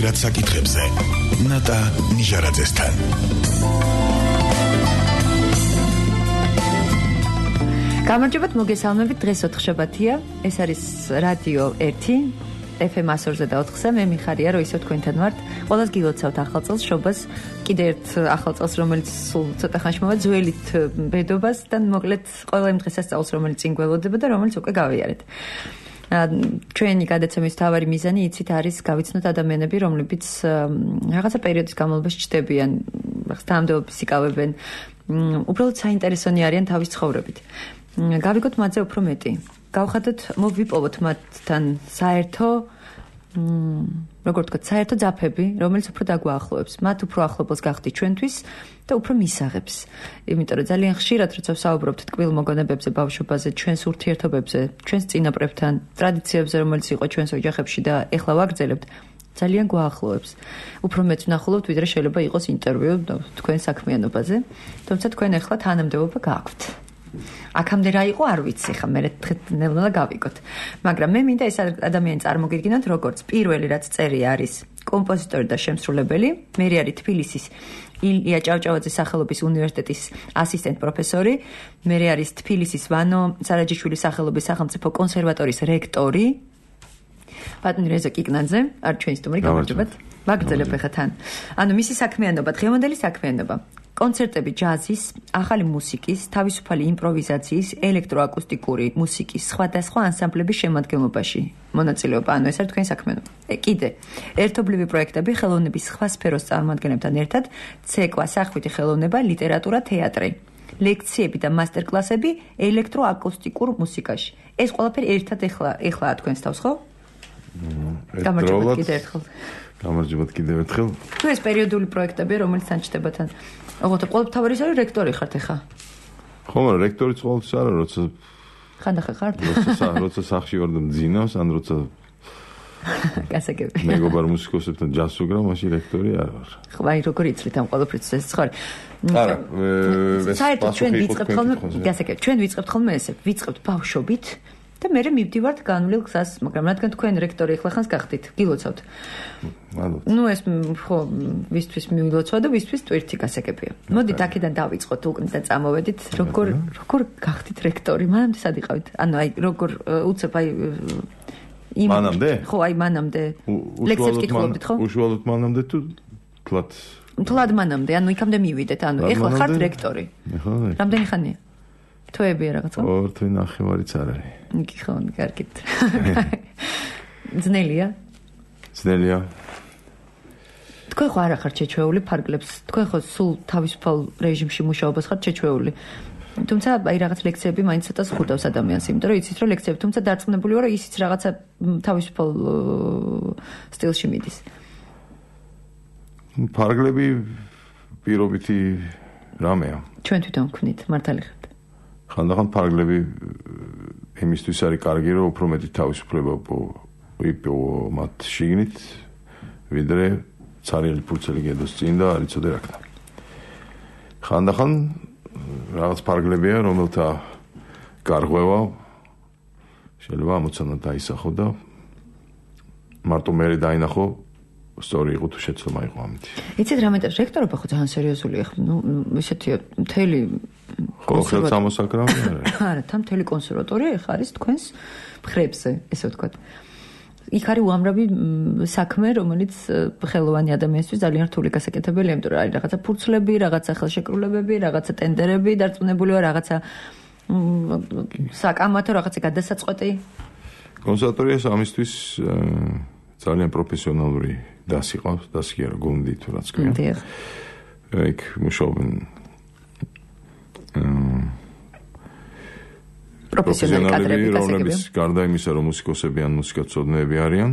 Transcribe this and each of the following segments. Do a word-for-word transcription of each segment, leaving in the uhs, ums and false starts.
ზოგიერად საკითხებზე. ნატა ნიჟარაძესთან. გამარჯობათ, მოგესალმებით. დღეს ოთხშაბათია. ეს არის რადიო ერთი ეფ ემ ათასორზე და ოთხზე. მე მიხარია, რომ ისევ თქვენთან ვართ. ყველას გილოცავთ ახალ წელს, შობას, კიდე ერთ ახალ წელს, რომელიც სულ ცოტა ხანში მოვა, ძველით ბედობას და მოკლედ ყველა იმ დღესასწაულს, რომელიც წინ გველოდება და რომელიც უკვე გავიარეთ. ჩვენი გადაცემის მთავარი მიზანი იცით არის გავიცნოთ ადამიანები, რომლებიც რაღაცა პერიოდის განმავლობაში ჩდებიან, თანამდებობის იკავებენ, უბრალოდ საინტერესონი არიან თავის ცხოვრებით. გავიგოთ მათზე უფრო მეტი. გავხადოთ, მოვიპოვოთ მათთან საერთო, როგორ ვთქვათ, საერთო ძაფები, რომელიც უფრო დაგვაახლოებს. მათ უფრო ახლობელს გახდით ჩვენთვის და უფრო მისაღებს. იმიტომ რომ ძალიან ხშირად როცა ვსაუბრობთ ტკბილ მოგონებებზე, ბავშვობაზე, ჩვენს ურთიერთობებზე, ჩვენს წინაპრებთან, ტრადიციებზე, რომელიც იყო ჩვენს ოჯახებში და ეხლა ვაგრძელებთ, ძალიან გვაახლოებს. უფრო მეც ვნახულობთ, ვიდრე შეიძლება იყოს ინტერვიუ თქვენ საქმიანობაზე, თუმცა თქვენ ეხლა თანამდებობა გააქვთ. აქამდე რა იყო არ ვიცი, ხა მე ნელ-ნელა გავიგოთ. მაგრამ მე მინდა ეს ადამიანი წარმოგიდგინოთ, როგორც პირველი რაც წერია არის კომპოზიტორი და შემსრულებელი, მე არის თბილისის ილია ჭავჭავაძის სახელობის უნივერსიტეტის ასისტენტ პროფესორი, მე არის თბილისის ვანო სარაჯიშვილის სახელობის სახელმწიფო კონსერვატორიის რექტორი, ბატონი რეზო კიკნაძე, არ ჩვენი სტუმარი, გამარჯობათ. ვაგრძელებ ახლა თან. ანუ მისი საქმიანობა, დღევანდელი საქმიანობა კონცერტები ჯაზის, ახალი მუსიკის, თავისუფალი იმპროვიზაციის, ელექტროაკუსტიკური მუსიკის, სხვადასხვა ანსამბლების შემადგენლობაში მონაწილეობა. ანუ ეს არის თქვენი საქმიანობა. კიდე ერთობლივი პროექტები ხელოვნების სხვა სფეროს წარმომადგენლებთან ერთად, ცეკვა, სახვითი ხელოვნება, ლიტერატურა, თეატრი, ლექციები და მასტერკლასები ელექტროაკუსტიკურ მუსიკაში. ეს ყველაფერი ერთად ეხლა ეხლა თქვენს თავს, ხო? გამარჯობათ კიდე ერთხელ. გამარჯობათ კიდევ ერთხელ. თუ ეს პერიოდული პროექტები, რომელიც ანჩდება თან. ოღონდ ყოველთავარი ის არის რექტორი ხართ ახლა. ხო, მაგრამ რექტორიც ყოველთვის არა, როცა ხანდახან ხართ? როცა როცა სახში ვარ და მძინავს, ან როცა გასაგები. მეგობარ მუსიკოსებთან ჯაზს ვუგრავ, მაშინ რექტორი არ ვარ. ხო, აი როგორ იცით ამ ყველაფრის ეს ხარ? არა, ეს საერთოდ ჩვენ ვიწყებთ ხოლმე, გასაგები, ჩვენ ვიწყებთ ხოლმე ესე, ვიწყებთ ბავშვობით და მე მივდივართ განვლილ გზას, მაგრამ რადგან თქვენ რექტორი ახლა ხანს გახდით, გილოცავთ. მადლობთ. ნუ ეს ხო, ვისთვის მივილოცვა და ვისთვის ტვირთი გასაგებია. მოდით აქედან დავიწყოთ უკან და წამოვედით, როგორ როგორ გახდით რექტორი? მანამდე სად იყავით? ანუ აი როგორ უცებ აი იმ მანამდე? ხო, აი მანამდე. ლექციებს კითხულობდით, ხო? უშუალოდ მანამდე თუ თლად? თლად მანამდე, ანუ იქამდე მივიდეთ, ანუ ეხლა ხართ რექტორი. ხო. რამდენი ხანია? თვეებია რაღაცა? ორ თვე ნახევარიც არ არის. კი ხო, კარგით. ძნელია? ძნელია. თქვენ ხო არ ახართ შეჩვეული ფარგლებს, თქვენ ხო სულ თავისუფალ რეჟიმში მუშაობას ხართ შეჩვეული. თუმცა აი რაღაც ლექციები მაინც ცოტა ზღუდავს ადამიანს, იმიტომ რომ იცით რომ ლექციები, თუმცა დარწმუნებული ვარ, რომ ისიც რაღაცა თავისუფალ სტილში მიდის. ფარგლები პირობითი რამეა. ჩვენ თვითონ ვქნით, მართალი ხართ. ხანდახან ფარგლები იმისთვის არის კარგი, რომ უფრო მეტი თავისუფლება ვიპოვო მათ შიგნით, ვიდრე ცარიელი ფურცელი გედოს წინ და არ იცოდე რა ქნა. ხანდახან რაღაც ფარგლებია, რომელთა გარღვევა შეიძლება ამოცანა დაისახო და მარტო მე დაინახო სწორი იყო თუ შეცდომა იყო ამით. იცით რა მეტყვი, რექტორობა ხო ძალიან სერიოზულია ხო? ნუ ისეთი მთელი ხო, ხელსამოსაკრავი არა. არა, თან მთელი კონსერვატორია ეხა არის თქვენს მხრებზე, ესე ვთქვათ. იქ არის უამრავი საქმე, რომელიც ხელოვანი ადამიანისთვის ძალიან რთული გასაკეთებელია, იმიტომ რომ არის რაღაცა ფურცლები, რაღაცა ხელშეკრულებები, რაღაცა ტენდერები, დარწმუნებული ვარ, რაღაცა საკამათო, რაღაცა გადასაწყვეტი. კონსერვატორიას ამისთვის ძალიან პროფესიონალური დასი ყავს, დასი არა, გუნდი თუ რაც ქვია. დიახ. იქ მუშაობენ პროფესიონალი კადრები, რომლებიც გარდა იმისა, რომ მუსიკოსები ან მუსიკაცოდნეები არიან,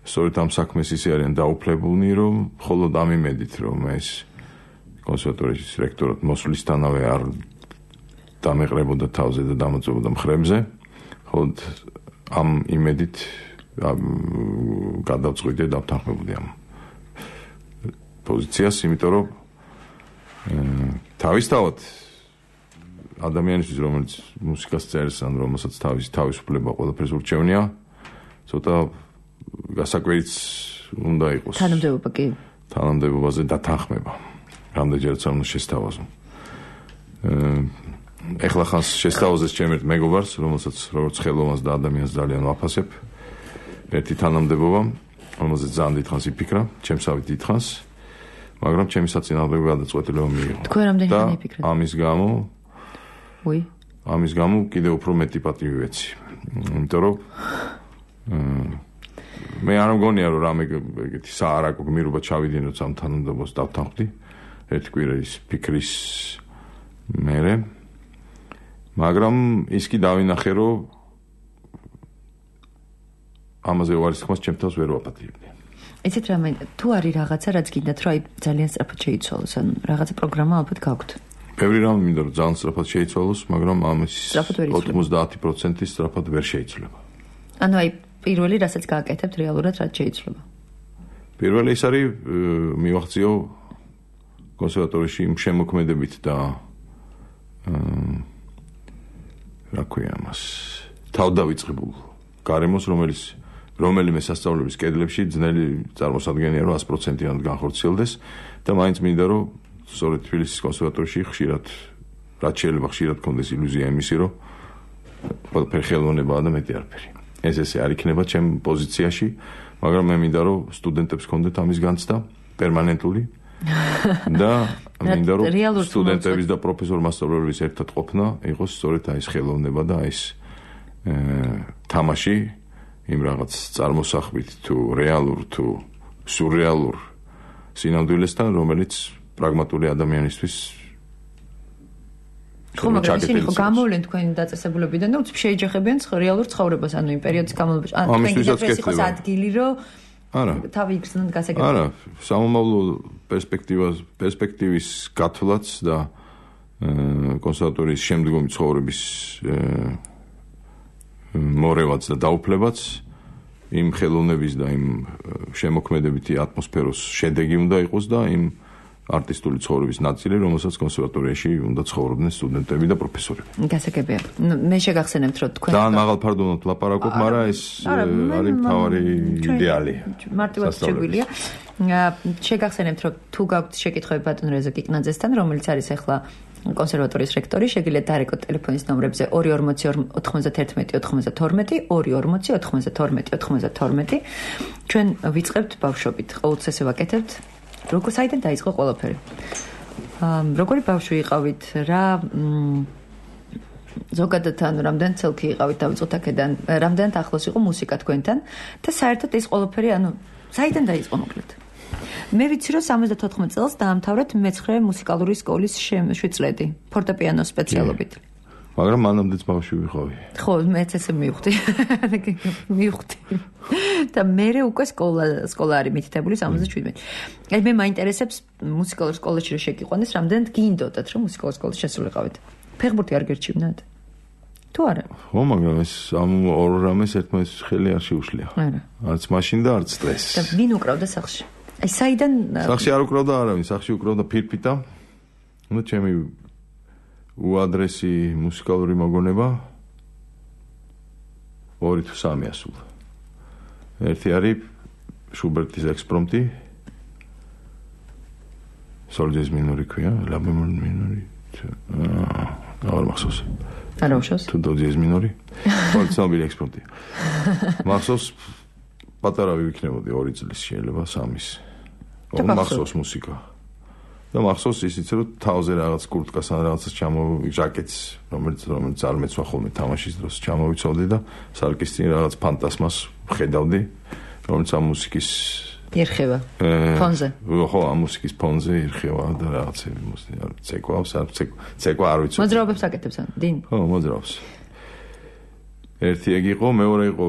სწორედ ამ საქმეს ისე არიან დაუფლებულნი, რომ მხოლოდ ამ იმედით, რომ ეს კონსერვატორიის რექტორად მოსვლისთანავე არ დამეყრებოდა თავზე და დამოწმებოდა მხრებზე, მხოლოდ ამ იმედით გადავწყვიტე და დავთანხმებოდი ამ პოზიციას, იმიტომ რომ თავისთავად ადამიანისთვის, რომელიც მუსიკას წერს, ან რომელსაც თავის თავისუფლება ყველაფერს ურჩევნია, ცოტა გასაკვირიც უნდა იყოს. თანამდებობა კი. თანამდებობაზე დათანხმება. რამდენჯერაც არ უნდა შესთავაზო. ეხლა ხანს შესთავაზეს ჩემ ერთ მეგობარს, რომელსაც როგორც ხელოვანს და ადამიანს ძალიან ვაფასებ. ერთი თანამდებობა, რომელზეც ძალიან დიდხანს იფიქრა, ჩემსავით დიდხანს, მაგრამ ჩემი საწინააღმდეგო გადაწყვეტილება მიიღო. თქვენ რამდენჯერ იფიქრეთ? ამის გამო უი. ამის გამო კიდევ უფრო მეტი პატივი ვეცი. იმიტომ რომ მე არ მგონია რომ რამე ეგეთი საარაკო გმირობა ჩავიდინოთ ამ თანამდებობას დავთანხმდი. ერთი კვირის ფიქრის მერე. მაგრამ ის კი დავინახე რომ ამაზე უარის ხმას ჩემ თავს ვერ ვაპატიებდი. იცით რა მე თუ არის რაღაცა რაც გინდათ რომ აი ძალიან სწრაფად შეიცვალოს, ანუ რაღაცა პროგრამა ალბათ გაქვთ. ბევრი რამე მინდა რომ ძალიან სწრაფად შეიცვალოს, მაგრამ ამის ოცდაათი პროცენტი სწრაფად ვერ შეიცვლება. ანუ აი პირველი რასაც გააკეთებთ რეალურად რაც შეიცვლება. პირველი ის არის მივახციო კონსერვატორიაში იმ შემოქმედებით და რა ქვია მას თავდავიწყებულ გარემოს, რომელიც რომელიმე სასწავლებლის კედლებში ძნელი წარმოსადგენია რომ sto პროცენტად განხორციელდეს და მაინც მინდა რომ სწორედ თბილისის კონსერვატორიაში ხშირად რაც შეიძლება ხშირად კონდეს ილუზია იმისი რომ ყველაფერი ხელოვნებაა და მეტი არაფერი. ეს ესე არ იქნება ჩემ პოზიციაში, მაგრამ მე მინდა რომ სტუდენტებს კონდეთ ამის განცდა პერმანენტული და მინდა რომ სტუდენტების და პროფესორ-მასწავლებლების ერთად ყოფნა იყოს სწორედ აი ეს ხელოვნება და აი ეს თამაში იმ რაღაც წარმოსახვით თუ რეალურ თუ სურრეალურ სინამდვილესთან, რომელიც პრაგმატული ადამიანისთვის ხო, მაგრამ ისინი ხო გამოვლენ თქვენი დაწესებულებიდან და უცებ შეიჯახებიან რეალურ ცხოვრებას, ანუ იმ პერიოდის განმავლობაში. ანუ თქვენ იყოს ადგილი, რომ არა. თავი იგრძნოთ გასაგებია. არა, სამომავლო პერსპექტივას, პერსპექტივის გათვლაც და კონსერვატორიის შემდგომი ცხოვრების მორევაც და დაუფლებაც იმ ხელოვნების და იმ შემოქმედებითი ატმოსფეროს შედეგი უნდა იყოს და იმ არტისტული ცხოვრების ნაწილი, რომელსაც კონსერვატორიაში უნდა ცხოვრობდნენ სტუდენტები და პროფესორები. გასაგებია. მე შეგახსენებთ, რომ თქვენ და მაღალ ფარდობად ლაპარაკობ, მაგრამ ეს არის თავარი იდეალი. მარტივად შეგვიძლია. შეგახსენებთ, რომ თუ გაქვთ შეკითხვები ბატონ რეზა კიკნაძესთან, რომელიც არის ახლა კონსერვატორიის რექტორი, შეგიძლიათ დაარეკოთ ტელეფონის ნომრებზე ორი ორმოცი ოთხმოცდათერთმეტი ოთხმოცდათორმეტი, ორი ორმოცი ოთხმოცდათორმეტი ოთხმოცდათორმეტი. ჩვენ ვიწყებთ ბავშვობით. ყოველთვის ესე ვაკეთებთ. როგორ საიდან დაიწყო ყველაფერი? როგორი ბავშვი იყავით? რა ზოგადად ანუ რამდენ წელki იყავით დავიწყოთ აქედან? რამდენად ახლოს იყო მუსიკა თქვენთან? და საერთოდ ეს ყველაფერი ანუ საიდან დაიწყო მოკლედ? მე ვიცი რომ სამოცდათოთხმეტ წელს დაამთავრეთ მეცხრე მუსიკალური სკოლის შვიდწლედი ფორტეპიანოს სპეციალობით. მაგრამ მანამდეც ბავშვი ვიყავი. ხო, მეც ესე მივხვდი. მივხვდი. და მე უკვე სკოლა სკოლა არის მითითებული სამოცდაშვიდმეტი. აი მე მაინტერესებს მუსიკალურ სკოლაში რომ შეგიყვანეს, რამდენად გინდოდათ რომ მუსიკალურ სკოლაში შესულიყავით. ფეხბურთი არ გერჩივნათ? თუ არა? ხო, მაგრამ ეს ამ ორ რამეს ერთმანეთს ხელი არ შეუშლია. არა. არც მაშინ და არც დღეს. და ვინ უკრავდა სახლში? აი საიდან სახლში არ უკრავდა არავინ, სახლში უკრავდა ფირფიტა. ну ჩემი უადრესი მუსიკალური მოგონება ორი თუ სამი ასულა. ერთი არის შუბერტის ექსპრომტი. სოლ ჯაზ მინორი ქვია, ლა ბემოლ მინორი. აა, არ მახსოვს. არა უშავს? თუ დო ჯაზ მინორი. ორი ცნობილი ექსპრომტი. მახსოვს პატარა ვიქნებოდი ორი წლის შეიძლება სამის. ორი მახსოვს მუსიკა. და მახსოვს ისიც რომ თავზე რაღაც კურტკას ან რაღაცას ჩამო ჟაკეტს რომელიც რომელიც არ მეცვა ხოლმე თამაშის დროს ჩამოვიცავდი და სარკის წინ რაღაც ფანტასმას ხედავდი რომელიც ამ მუსიკის ერხება ფონზე ხო ამ მუსიკის ფონზე ერხება და რაღაცები მუსიკა ცეკვავს არ ცეკვა არ ვიცი მოძრაობებს აკეთებს ან დინ ხო მოძრაობს ერთი ეგ იყო მეორე იყო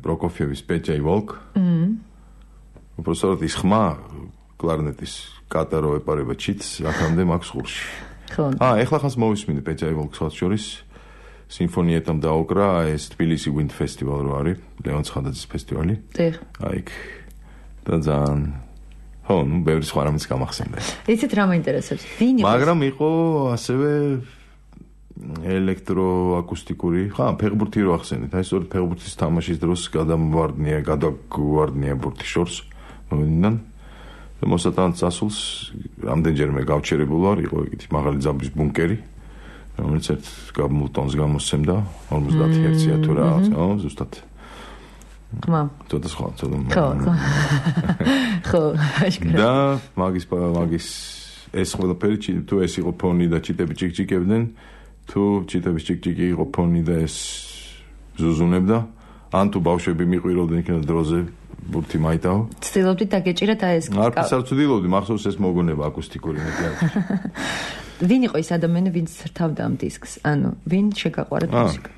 პროკოფიევის პეჭაი ვოლკ მმ უბრალოდ ის ხმა კლარნეტის კატარო ეპარება ჩიტს აქამდე მაქვს ხურში. ხო. აა, ეხლა ხანს მოვისმინე პეჭაი ვოლკს შორის სიმფონიეთამ დაუკრა ეს თბილისი ვინდ ფესტივალ რო არის, ლევან ცხადაძის ფესტივალი. დიახ. აი, და ძალიან ხო, ნუ ბევრი სხვა რამეც გამახსენდა. იცით რა მაინტერესებს? ვინ იყო? მაგრამ იყო ასევე ელექტროაკუსტიკური, ხა, ფეხბურთი რო ახსენეთ, აი სწორედ ფეხბურთის თამაშის დროს გადამვარდნია, გადაგვარდნია ბურთი შორს მომიდან. მოსატანად წასულს რამდენჯერმე გავჩერებულ ვარ, იყო ეგეთი მაღალი ძაბვის ბუნკერი, რომელიც ერთ გამულტონს გამოსცემდა ორმოცდაათი ჰერცია თუ რაღაც, ხო, ზუსტად. ხმა. ცოტა სხვა, ცოტა. ხო, ხო. ხო, აშკარა. და მაგის მაგის ეს ყველაფერი თუ ეს იყო ფონი და ჩიტები ჭიკჭიკებდნენ, თუ ჩიტების ჭიკჭიკი იყო ფონი და ეს ზუზუნებდა, ან თუ ბავშვები მიყვიროდნენ იქნება დროზე ბურთი მაიტაო. ცდილობდით დაგეჭირათ აი ეს. არ ფსარცდილობდი, მახსოვს ეს მოგონება აკუსტიკური მეტი არის. ვინ იყო ის ადამიანი, ვინც რთავდა ამ დისკს? ანუ ვინ შეგაყვარეთ მუსიკა?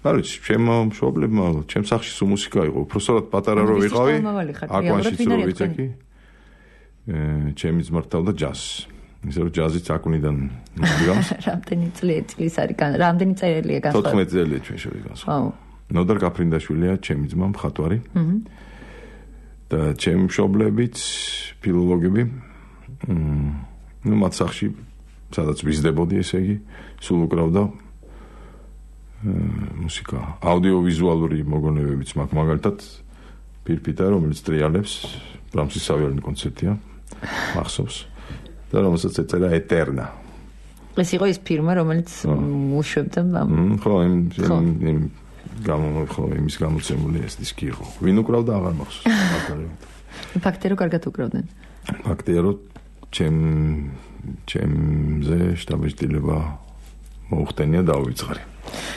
არ ვიცი, ჩემო მშობლებმა, ჩემ სახლში სულ მუსიკა იყო. უბრალოდ პატარა რო ვიყავი, აკვანშიც რო ვიცექი. ჩემი ძმა რთავდა ჯაზს. ისე რომ ჯაზიც აკუნიდან მოგიგავს. რამდენი წლის არის? რამდენი წერილია განსხვავებული? თოთხმეტი წელია ჩვენ შორის განსხვავებული. ნოდარ კაფრინდაშვილია ჩემი ძმა მხატვარი. აჰა. და ჩემი მშობლებიც ფილოლოგები. ნუ მათ სახლში სადაც ვიზრდებოდი, ესე იგი, სულ უკრავდა მუსიკა. აუდიოვიზუალური მოგონებებიც მაქვს, მაგალითად, პირფიტა, რომელიც ტრიალებს, ბრამსის სავიოლინო კონცერტია, მახსოვს. და რომელსაც ეწერა ეტერნა. ეს იყო ის ფირმა, რომელიც უშვებდა ამ. ხო, იმ იმ გამო ხო იმის გამოცემული ეს დისკი იყო. ვინ უკრავდა აღარ მახსოვს. ფაქტია რომ კარგად უკრავდნენ. ფაქტია რომ ჩემ ჩემზე შტაბეშტილება მოუხდენია დაუვიწყარი.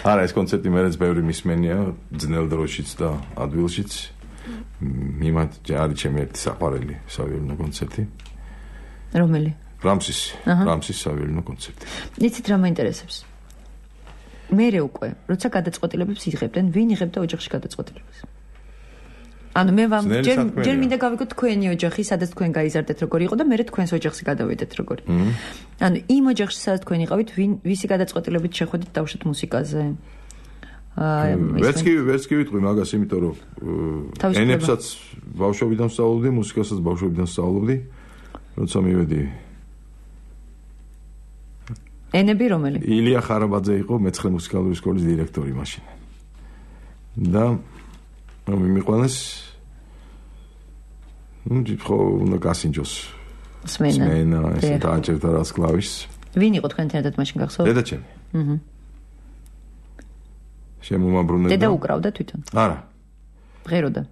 არა, ეს კონცერტი მეც ბევრი მისმენია ძნელ დროშიც და ადვილშიც. მიმად არის ჩემი ერთი საყვარელი სავიოლინო კონცერტი. რომელი? ბრამსის, ბრამსის სავიოლინო კონცერტი. იცით რა მაინტერესებს? მერე უკვე, როცა გადაწყვეტილებებს იღებდნენ, ვინ იღებდა ოჯახში გადაწყვეტილებას? ანუ მე ვამ ჯერ ჯერ მინდა გავიგოთ თქვენი ოჯახი, სადაც თქვენ გაიზარდეთ როგორი იყო და მე თქვენს ოჯახში გადავიდეთ როგორი. ანუ იმ ოჯახში სადაც თქვენ იყავით, ვინ ვისი გადაწყვეტილებით შეხვედით დავშოთ მუსიკაზე? აა ვერც კი ვერც კი ვიტყვი მაგას, იმიტომ რომ ენებსაც ბავშვობიდან სწავლობდი, მუსიკასაც ბავშვობიდან სწავლობდი. როცა მივედი ენები რომელი? ილია ხარაბაძე იყო მეცხრე მუსიკალური სკოლის დირექტორი მაშინ. და მიმიყვანეს ნუ ხო უნდა გასინჯოს. სმენა. სმენა, ესე დააჭერდა რას კლავიშს. ვინ იყო თქვენთან ერთად მაშინ გახსოვთ? დედაჩემი. აჰა. შემომაბრუნებდა. დედა უკრავდა თვითონ? არა. ღეროდა.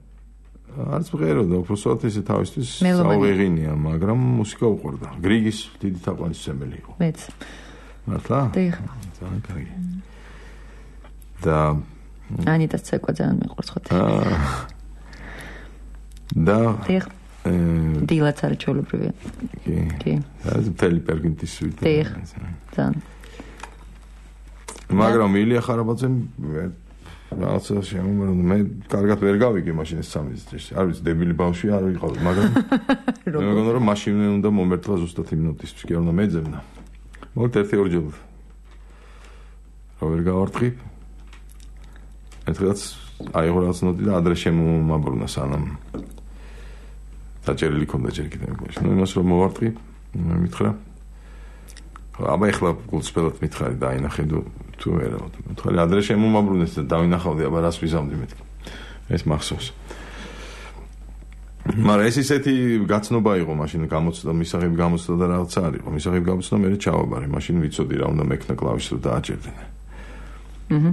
არც ღეროდა, უბრალოდ ესე თავისთვის საუღեղინია, მაგრამ მუსიკა უყვარდა. გრიგის დიდი თაყვანისმცემელი იყო. მეც. მართლა? დიახ. ძალიან კარგი. და ანიტას ცეკვა ძალიან მიყვარს ხოთი. და დიახ. დილაც არის ჩვეულებრივია. კი. კი. ეს მთელი პერგინტის სვიტი. დიახ. ძალიან. მაგრამ ილია ხარაბაძემ რაღაცა შემომრუნდა. მე კარგად ვერ გავიგე მაშინ ეს სამი წელი. არ ვიცი, დებილი ბავშვი არ ვიყავი, მაგრამ მე მგონია რომ მაშინ უნდა მომერთლა ზუსტად იმ ნოტისთვის, კი არ უნდა მეძებნა. მოგეთ ერთი ორჯერ რა ვერ გავარტყი. ერთხელაც აიღო რაღაც ნოტი და ადრე შემომაბრუნა სანამ დაჭერილი ქონდა ჯერ კიდევ მეგონა. ნუ იმას რომ მოვარტყი, მითხრა. აბა ეხლა გულწრფელად მითხარი დაინახე თუ ვერა. მითხარი ადრე შემომაბრუნეს და დავინახავდი, აბა რას ვიზამდი მეთქი. ეს მახსოვს. მაგრამ ეს ისეთი გაცნობა იყო მაშინ გამოცდა, მისაღები გამოცდა და რაღაცა არ იყო. მისაღები გამოცდა მე ჩავაბარე, მაშინ ვიცოდი რა უნდა მექნა კლავიშს რომ დააჭერდნენ. აჰა.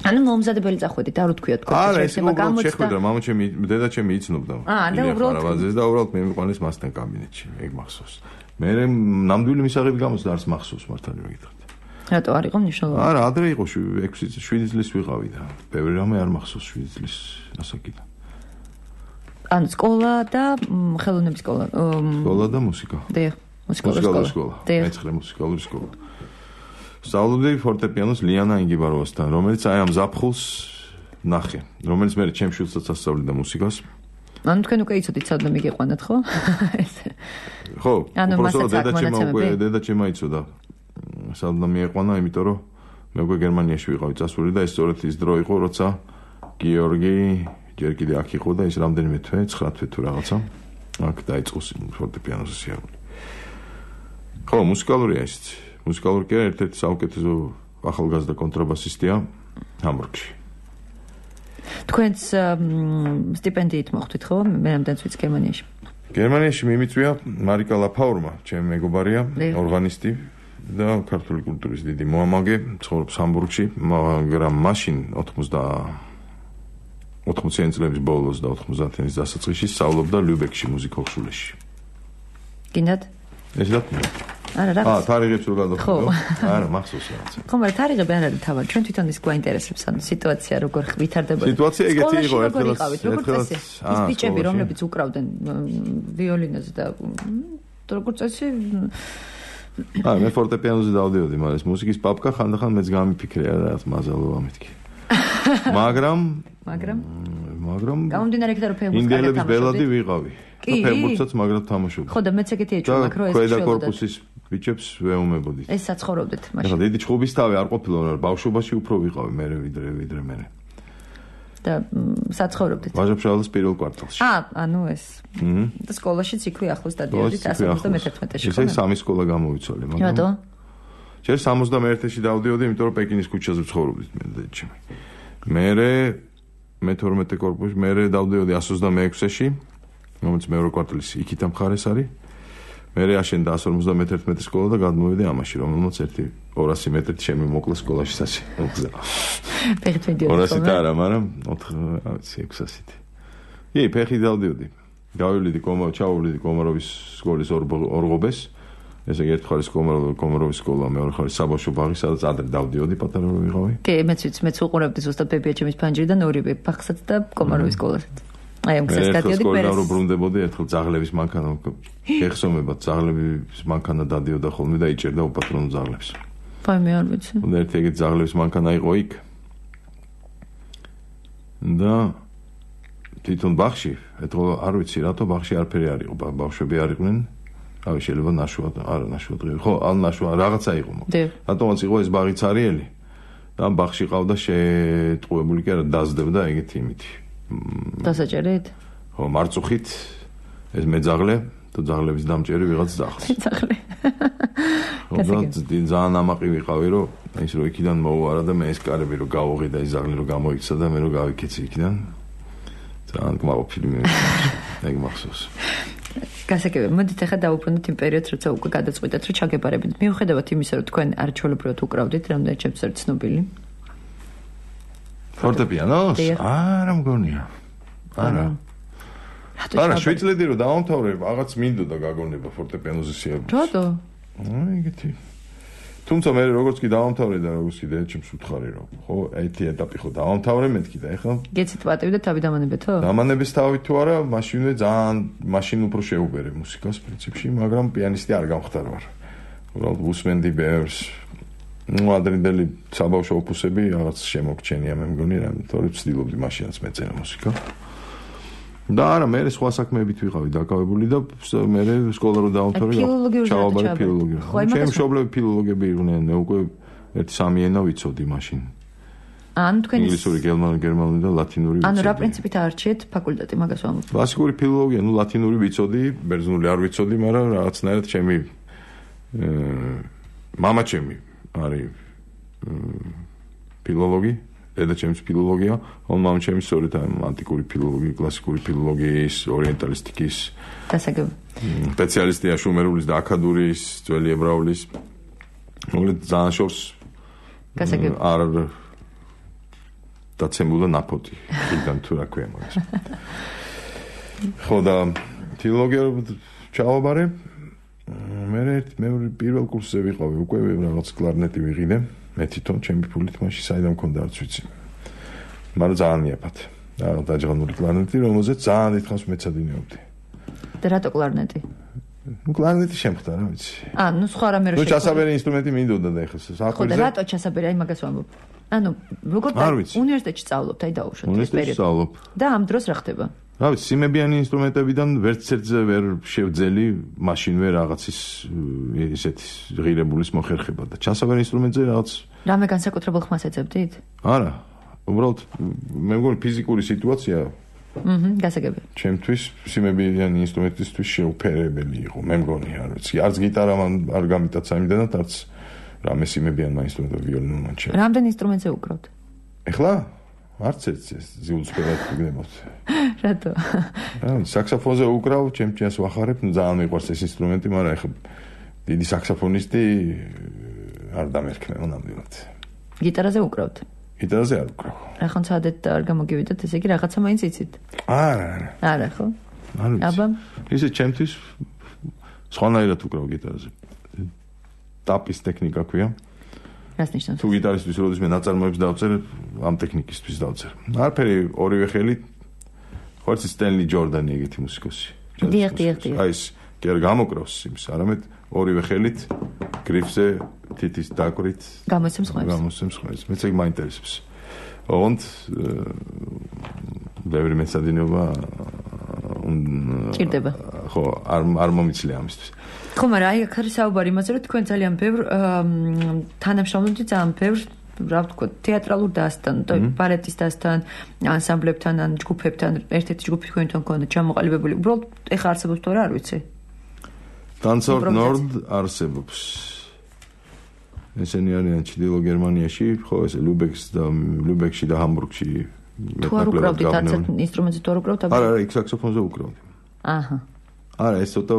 ანუ მომზადებელი წახვედით, არ ვთქვიოთ კონცერტში. არა, ეს უბრალოდ შეხვედრა, მამაჩემი, დედაჩემი იცნობდა. აა, და უბრალოდ და უბრალოდ მე მიყვანეს მასთან კაბინეტში, ეგ მახსოვს. მე ნამდვილი მისაღები გამოცდა არც მახსოვს მართალი რომ გითხრათ. რატო არ იყო მნიშვნელოვანი? არა, ადრე იყო ექვსი შვიდი წლის ვიყავი და ბევრი რამე არ მახსოვს შვიდი წლის ასაკიდან. ანუ სკოლა და ხელოვნების სკოლა. სკოლა და მუსიკა. დიახ, მუსიკალური სკოლა. მეცხრე მუსიკალური სკოლა. სწავლობდი ფორტეპიანოს ლიანა ინგიბაროვასთან, რომელიც აი ამ ზაფხულს ნახე, რომელიც მე ჩემ შვილსაც ასწავლიდა მუსიკას. ანუ თქვენ უკვე იცოდით საერთოდ მიგიყვანათ, ხო? ხო, უბრალოდ დედაჩემა უკვე დედაჩემა იცოდა. საერთოდ მიიყვანა, იმიტომ რომ მე უკვე გერმანიაში ვიყავი წასული და ეს სწორედ ის დრო იყო, როცა გიორგი ჯერ კიდე აქ იყო და ის რამდენიმე თვე, ცხრა თვე თუ რაღაცა, აქ დაიწყო ფორტეპიანოს სიარული. ხო, მუსიკალურია ისიც. მუსიკალური კარიერა ერთ-ერთი საუკეთესო ახალგაზრდა კონტრაბასისტია ჰამბურგში. თქვენს სტიპენდიით მოხვდით ხო? მე რამდენიც ვიცი გერმანიაში. გერმანიაში მიმიწვია მარიკა ლაფაურმა, ჩემი მეგობარია, ორგანისტი და ქართული კულტურის დიდი მოამაგე, ცხოვრობს ჰამბურგში, მაგრამ მაშინ ოთხმოციანი წლების ბოლოს და ოთხმოციანი დასაწყისში სწავლობდა ლიუბეკში მუსიკალურ სკოლაში. გინდათ? ეს რა? არა, რა. აა, თარიღებს რო გადავხედო. არა, მახსოვს რაღაცა. ხო, მაგრამ თარიღები არ არის თავად. ჩვენ თვითონ ის გვაინტერესებს, ანუ სიტუაცია როგორ ვითარდებოდა. სიტუაცია ეგეთი იყო, ერთხელაც როგორც წესი. ის ბიჭები, რომლებიც უკრავდნენ ვიოლინოზე და როგორც წესი აა, მე ფორტეპიანოზე დავდიოდი, მაგრამ ეს მუსიკის პაპკა ხანდახან მეც გამიფიქრე რა, მაზალოა მეთქი. მაგრამ მაგრამ მაგრამ გამომდინარე იქიდან რომ ფეხბურთს ინდიელების ბელადი ვიყავი. კი, ფეხბურთსაც მაგრამ თამაშობდი. ხო და მეც ეგეთი ეჭვმა მაქვს რომ ეს ქვედა კორპუსის ბიჭებს ვეუმებოდი. ეს საცხოვრობდით მაშინ. ეხლა დიდი ჭხობის თავი არ ყოფილა, მაგრამ ბავშვობაში უფრო ვიყავი მე ვიდრე ვიდრე მე. და საცხოვრობდით. ვაჟა-ფშაველის პირველ კვარტალში. აა, ანუ ეს. და სკოლაშიც იქვე ახლოს დადიოდით ასი ოცდამეთერთმეტეში. ესე სამი სკოლა გამოვიცვალე, მაგრამ რატო? ჯერ სამოცდამეერთში დავდიოდი, იმიტომ რომ პეკინის ქუჩაზე ვცხოვრობდით მე და ჩემი. მერე მეთორმეტე კორპუსში, მერე დავდიოდი ასი ოცდამეექვსში, რომელიც მეორე კვარტალის იქითა მხარეს არის. მერე აშენდა ასი ორმოცდამეთერთმეტე სკოლა და გადმოვედი ამაში, რომელმაც ერთი ორასი მეტრით შემიმოკლა სკოლაში სასი. ფეხით მიდიოდი. ორასი და არა, მაგრამ ოთხი ექვსასით. კი, ფეხით დავდიოდი. გავივლიდი კომარო, ჩავივლიდი კომაროვის სკოლის ორღობეს. ესე იგი ერთი ხარის კომაროვის სკოლა, მეორე ხარის საბავშვო ბაღი, სადაც ადრე დავდიოდი, პატარა რო ვიყავი. კი, მეც ვიცი, მეც უყურებდი ზუსტად ბებიაჩემის ფანჯრიდან ორივე ბაღსაც და კომაროვის სკოლასაც. აი ამ გზას გადიოდი პერეს. სკოლა რო ბრუნდებოდი, ერთხელ ძაღლების მანქანა გეხსომებად, ძაღლების მანქანა დადიოდა ხოლმე და იჭერდა უპატრონო ძაღლებს. აი მე არ ვიცი. და ერთი ეგეთი ძაღლების მანქანა იყო იქ. და თვითონ ბაღში, ეთქო არ ვიცი რატო ბაღში არაფერი არ იყო, ბავშვები არ იყვნენ. ავი შეიძლება ნაშუა არა ნაშუა დღე ხო ან ნაშუა რაღაცა იყო მოკლედ რატომაც იყო ეს ბაღი цаრიელი და ამ ბაღში ყავდა შეტყუებული კი არა დაზდებდა ეგეთი იმითი დასაჭერით ხო მარწუხით ეს მეძაღლე და ძაღლების დამჭერი ვიღაც ძაღლს ძაღლე ხო ძალიან ამაყი ვიყავი რომ ის რო იქიდან მოუარა და მე ეს კარები რო გავუღი და ის ძაღლი რო გამოიქცა და მე რო გავიქეცი იქიდან ძალიან გმაყოფილი მე ეგ მახსოვს გასაგებია, მოდით ახლა დავუბრუნდეთ იმ პერიოდს, როცა უკვე გადაწყვიტეთ, რომ ჩაგებარებით. მიუხედავად იმისა, რომ თქვენ არჩეულებრივად უკრავდით, რამდენად ჩემს ერთ ცნობილი. ფორტეპიანოს? არა, მგონია. არა. არა, შვიდ წლები რომ დავამთავრე, რაღაც მინდოდა გაგონება ფორტეპიანოზე სიარული. რატო? აი, ეგეთი. თუმცა მე როგორც კი დავამთავრე და როგორც კიდე ჩემს უთხარი რომ ხო ერთი ეტაპი ხო დავამთავრე მეთქი და ეხლა გეცით პატივი და თავი დამანებეთო? დამანების თავი თუ არა, მაშინვე ძალიან მაშინ უფრო შეუბერე მუსიკას პრინციპში, მაგრამ პიანისტი არ გამხდარ ვარ. უბრალოდ უსმენდი ბევრს. ნუ ადრინდელი საბავშვო ოპუსები რაღაც შემოგჩენია მე მგონი რა, თორე ვცდილობდი მაშინაც მეწერა მუსიკა. და არა, მე სხვა საქმეებით ვიყავი დაკავებული და მე სკოლა რო დავამთავრე, ჩავაბარე ფილოლოგია. ჩემი მშობლები ფილოლოგები იყვნენ, მე უკვე ერთი სამი ენა ვიცოდი მაშინ. ან თქვენი ინგლისური, გერმანული, გერმანული და ლათინური ვიცოდი. ანუ რა პრინციპით არჩიეთ ფაკულტეტი, მაგას ვამბობ. კლასიკური ფილოლოგია, ნუ ლათინური ვიცოდი, ბერძნული არ ვიცოდი, მაგრამ რაღაცნაირად ჩემი მამა ჩემი არის ფილოლოგი. და ჩემს ფილოლოგია, ან მამ ჩემი სწორედ ანტიკური ფილოლოგია, კლასიკური ფილოლოგიის, ორიენტალისტიკის დასაგებ. სპეციალისტია შუმერულის და აქადურის, ძველი ებრაულის. მოკლედ ძალიან შორს დასაგებ. არ დაცემულა ნაფოტი, იქიდან თუ რა ქვია მაგას. ხო და ფილოლოგია ჩავაბარე. მე მე პირველ კურსზე ვიყავი, უკვე რაღაც კლარნეტი ვიღიდე. მე თვითონ ჩემი ფულით მაშინ საიდან მქონდა არც ვიცი. მაგრამ ძალიან მიაფათ. და დაჯღანული კლარნეტი, რომელზეც ძალიან დიდხანს მეცადინეობდი. და რატო კლარნეტი? ნუ კლარნეტი შემხდა, რა ვიცი. აა, ნუ სხვა რამე რო შეხვდა. ნუ ჩასაბერი ინსტრუმენტი მინდოდა და ეხლა საქმეზე. ხო და რატო ჩასაბერი, აი მაგას ვამბობ. ანუ როგორ უნივერსიტეტში სწავლობთ, აი დაუშვათ ეს პერიოდი. და ამ დროს რა ხდება? რა ვიცი, სიმებიანი ინსტრუმენტებიდან ვერც ერთზე ვერ შევძელი მაშინვე რაღაცის ისეთი ღირებულის მოხერხება და ჩასაბერ ინსტრუმენტზე რაღაც რამე განსაკუთრებულ ხმას ეძებდით? არა, უბრალოდ მე მგონი ფიზიკური სიტუაცია აჰა, გასაგებია. ჩემთვის სიმებიანი ინსტრუმენტისთვის შეუფერებელი იყო, მე მგონი, არ ვიცი, არც გიტარა მან არ გამიტაცა იმდანაც, არც რა მესიმებიან მაინსტრუმენტო ვიოლინო ჩე. რამდენ ინსტრუმენტზე უკრავთ? ეხლა არც ერთ ზიულსფერად ვიგნებოთ. რატო? რა, საქსოფონზე უკრავ, ჩემს ვახარებ, ძალიან მიყვარს ეს ინსტრუმენტი, მაგრამ ეხლა დიდი საქსოფონისტი არ დამერქნება ნამდვილად. გიტარაზე უკრავთ? გიტარაზე არ უკრავ. რა ხან ცადეთ და არ გამოგივიდათ, ესე იგი რაღაცა მაინც იცით? არა, არა. არა, ხო? არ ვიცი. აბა, ისე ჩემთვის სხვანაირად უკრავ გიტარაზე. ტაპის ტექნიკა ქვია. რას ნიშნავს? თუ გიტარისტვის როდის მე ნაწარმოებს დავწერ, ამ ტექნიკისთვის დავწერ. არაფერი ორივე ხელით. ხო ეს სტენლი ჯორდანი ეგეთი მუსიკოსი. დიახ, დიახ, დიახ. აი ეს კი არ გამოკრავს იმის, არამედ ორივე ხელით გრიფზე თითის დაკვირით გამოსცემს ხვებს. გამოსცემს ხვებს. მეც ეგ მაინტერესებს. ოღონდ ბევრი მეცადინეობა ჭირდება. ხო, არ არ მომიცლია ამისთვის. ხო, მაგრამ აი აქ არის საუბარი იმაზე, რომ თქვენ ძალიან ბევრ თანამშრომლობთ ძალიან ბევრ, რა ვთქვათ, თეატრალურ დასთან, ბალეტის დასთან, ანსამბლებთან, ან ჯგუფებთან, ერთ-ერთი ჯგუფი თქვენთან გქონდა ჩამოყალიბებული. უბრალოდ ეხა არსებობს თუ არა, არ ვიცი. Tanzort Nord არსებობს. ესენი არიან ჩრდილო გერმანიაში, ხო, ესე ლუბექს და ლუბექში და ჰამბურგში. თუ არ უკრავდით არც ინსტრუმენტზე თუ არ უკრავთ? არა, არა, იქ საქსოფონზე უკრავდი. აჰა. არა, ეს ცოტა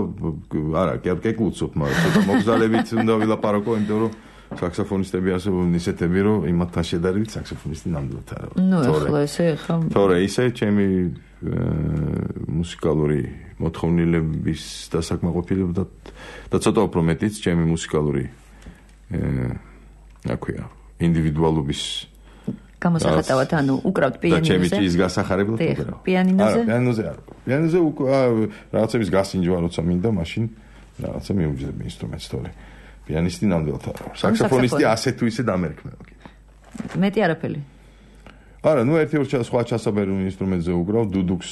არა, კი არ გეკულწობ, მაგრამ ცოტა მოგზალებით უნდა ვილაპარაკო, იმიტომ რომ საქსოფონისტები არსებობენ ისეთები, რომ იმათთან შედარებით საქსოფონისტი ნამდვილად არა. ნუ ეხლა ესე ეხლა. თორე ისე ჩემი მუსიკალური მოთხოვნილების დასაკმაყოფილება და ცოტა უფრო მეტიც ჩემი მუსიკალური რა ქვია, ინდივიდუალობის გამოსახატავად, ანუ უკრავთ პიანინოზე. და ჩემი ის გასახარებლად უკრავ. პიანინოზე? არა, პიანინოზე არ. პიანინოზე რაღაცების გასინჯვა როცა მინდა, მაშინ რაღაცა მიუჯდები ინსტრუმენტს თორე. პიანისტი ნამდვილად არა. საქსოფონისტი ასე თუ ისე დამერქნება. მეტი არაფერი. არა, ნუ ერთი ორ სხვა ჩასაბერ ინსტრუმენტზე უკრავ, დუდუქს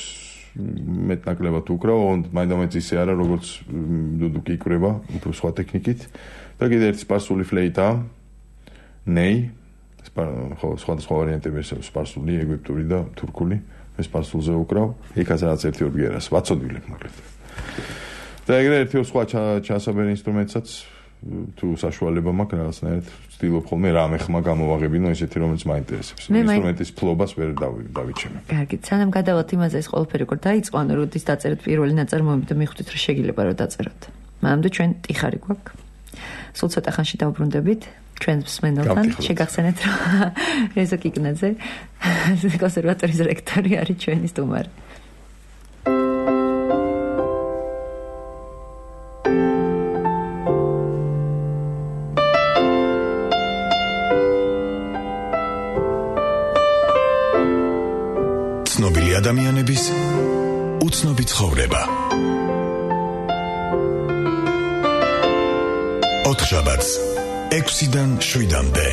მეტნაკლებად უკრავ, მაინდამაინც ისე არა, როგორც დუდუკი იკვრება, უფრო სხვა ტექნიკით. და კიდე ერთი სპარსული ფლეიტა, ნეი, ხო, სხვადასხვა ვარიანტები არსებობს, სპარსული, ეგვიპტური და თურქული. მე სპარსულზე უკრავ, იქაც რაღაც ერთი ორ ბგერას, ვაცოდვილებ მაგალითად. და ეგრე ერთი ორ სხვა ჩასაბერ ინსტრუმენტსაც თუ საშუალება მაქვს რაღაცნაირად ვცდილობ ხოლმე რამე ხმა გამოვაღებინო ისეთი რომელიც მაინტერესებს. ინსტრუმენტის ფლობას ვერ დავიჩემე. კარგი, სანამ გადავალთ იმაზე ეს ყველაფერი როგორ დაიწყო, ანუ როდის დაწერეთ პირველი ნაწარმოები და მიხვდით რომ შეგიძლია რომ დაწეროთ. მანამდე ჩვენ ტიხარი გვაქვს. სულ ცოტა ხანში დავბრუნდებით ჩვენს მსმენელთან. შეგახსენეთ რომ რეზო კიკნაძე კონსერვატორიის რექტორი არის ჩვენი სტუმარი. ცნობილი ადამიანების უცნობი ცხოვრება. ოთხშაბათს ექვსიდან შვიდამდე.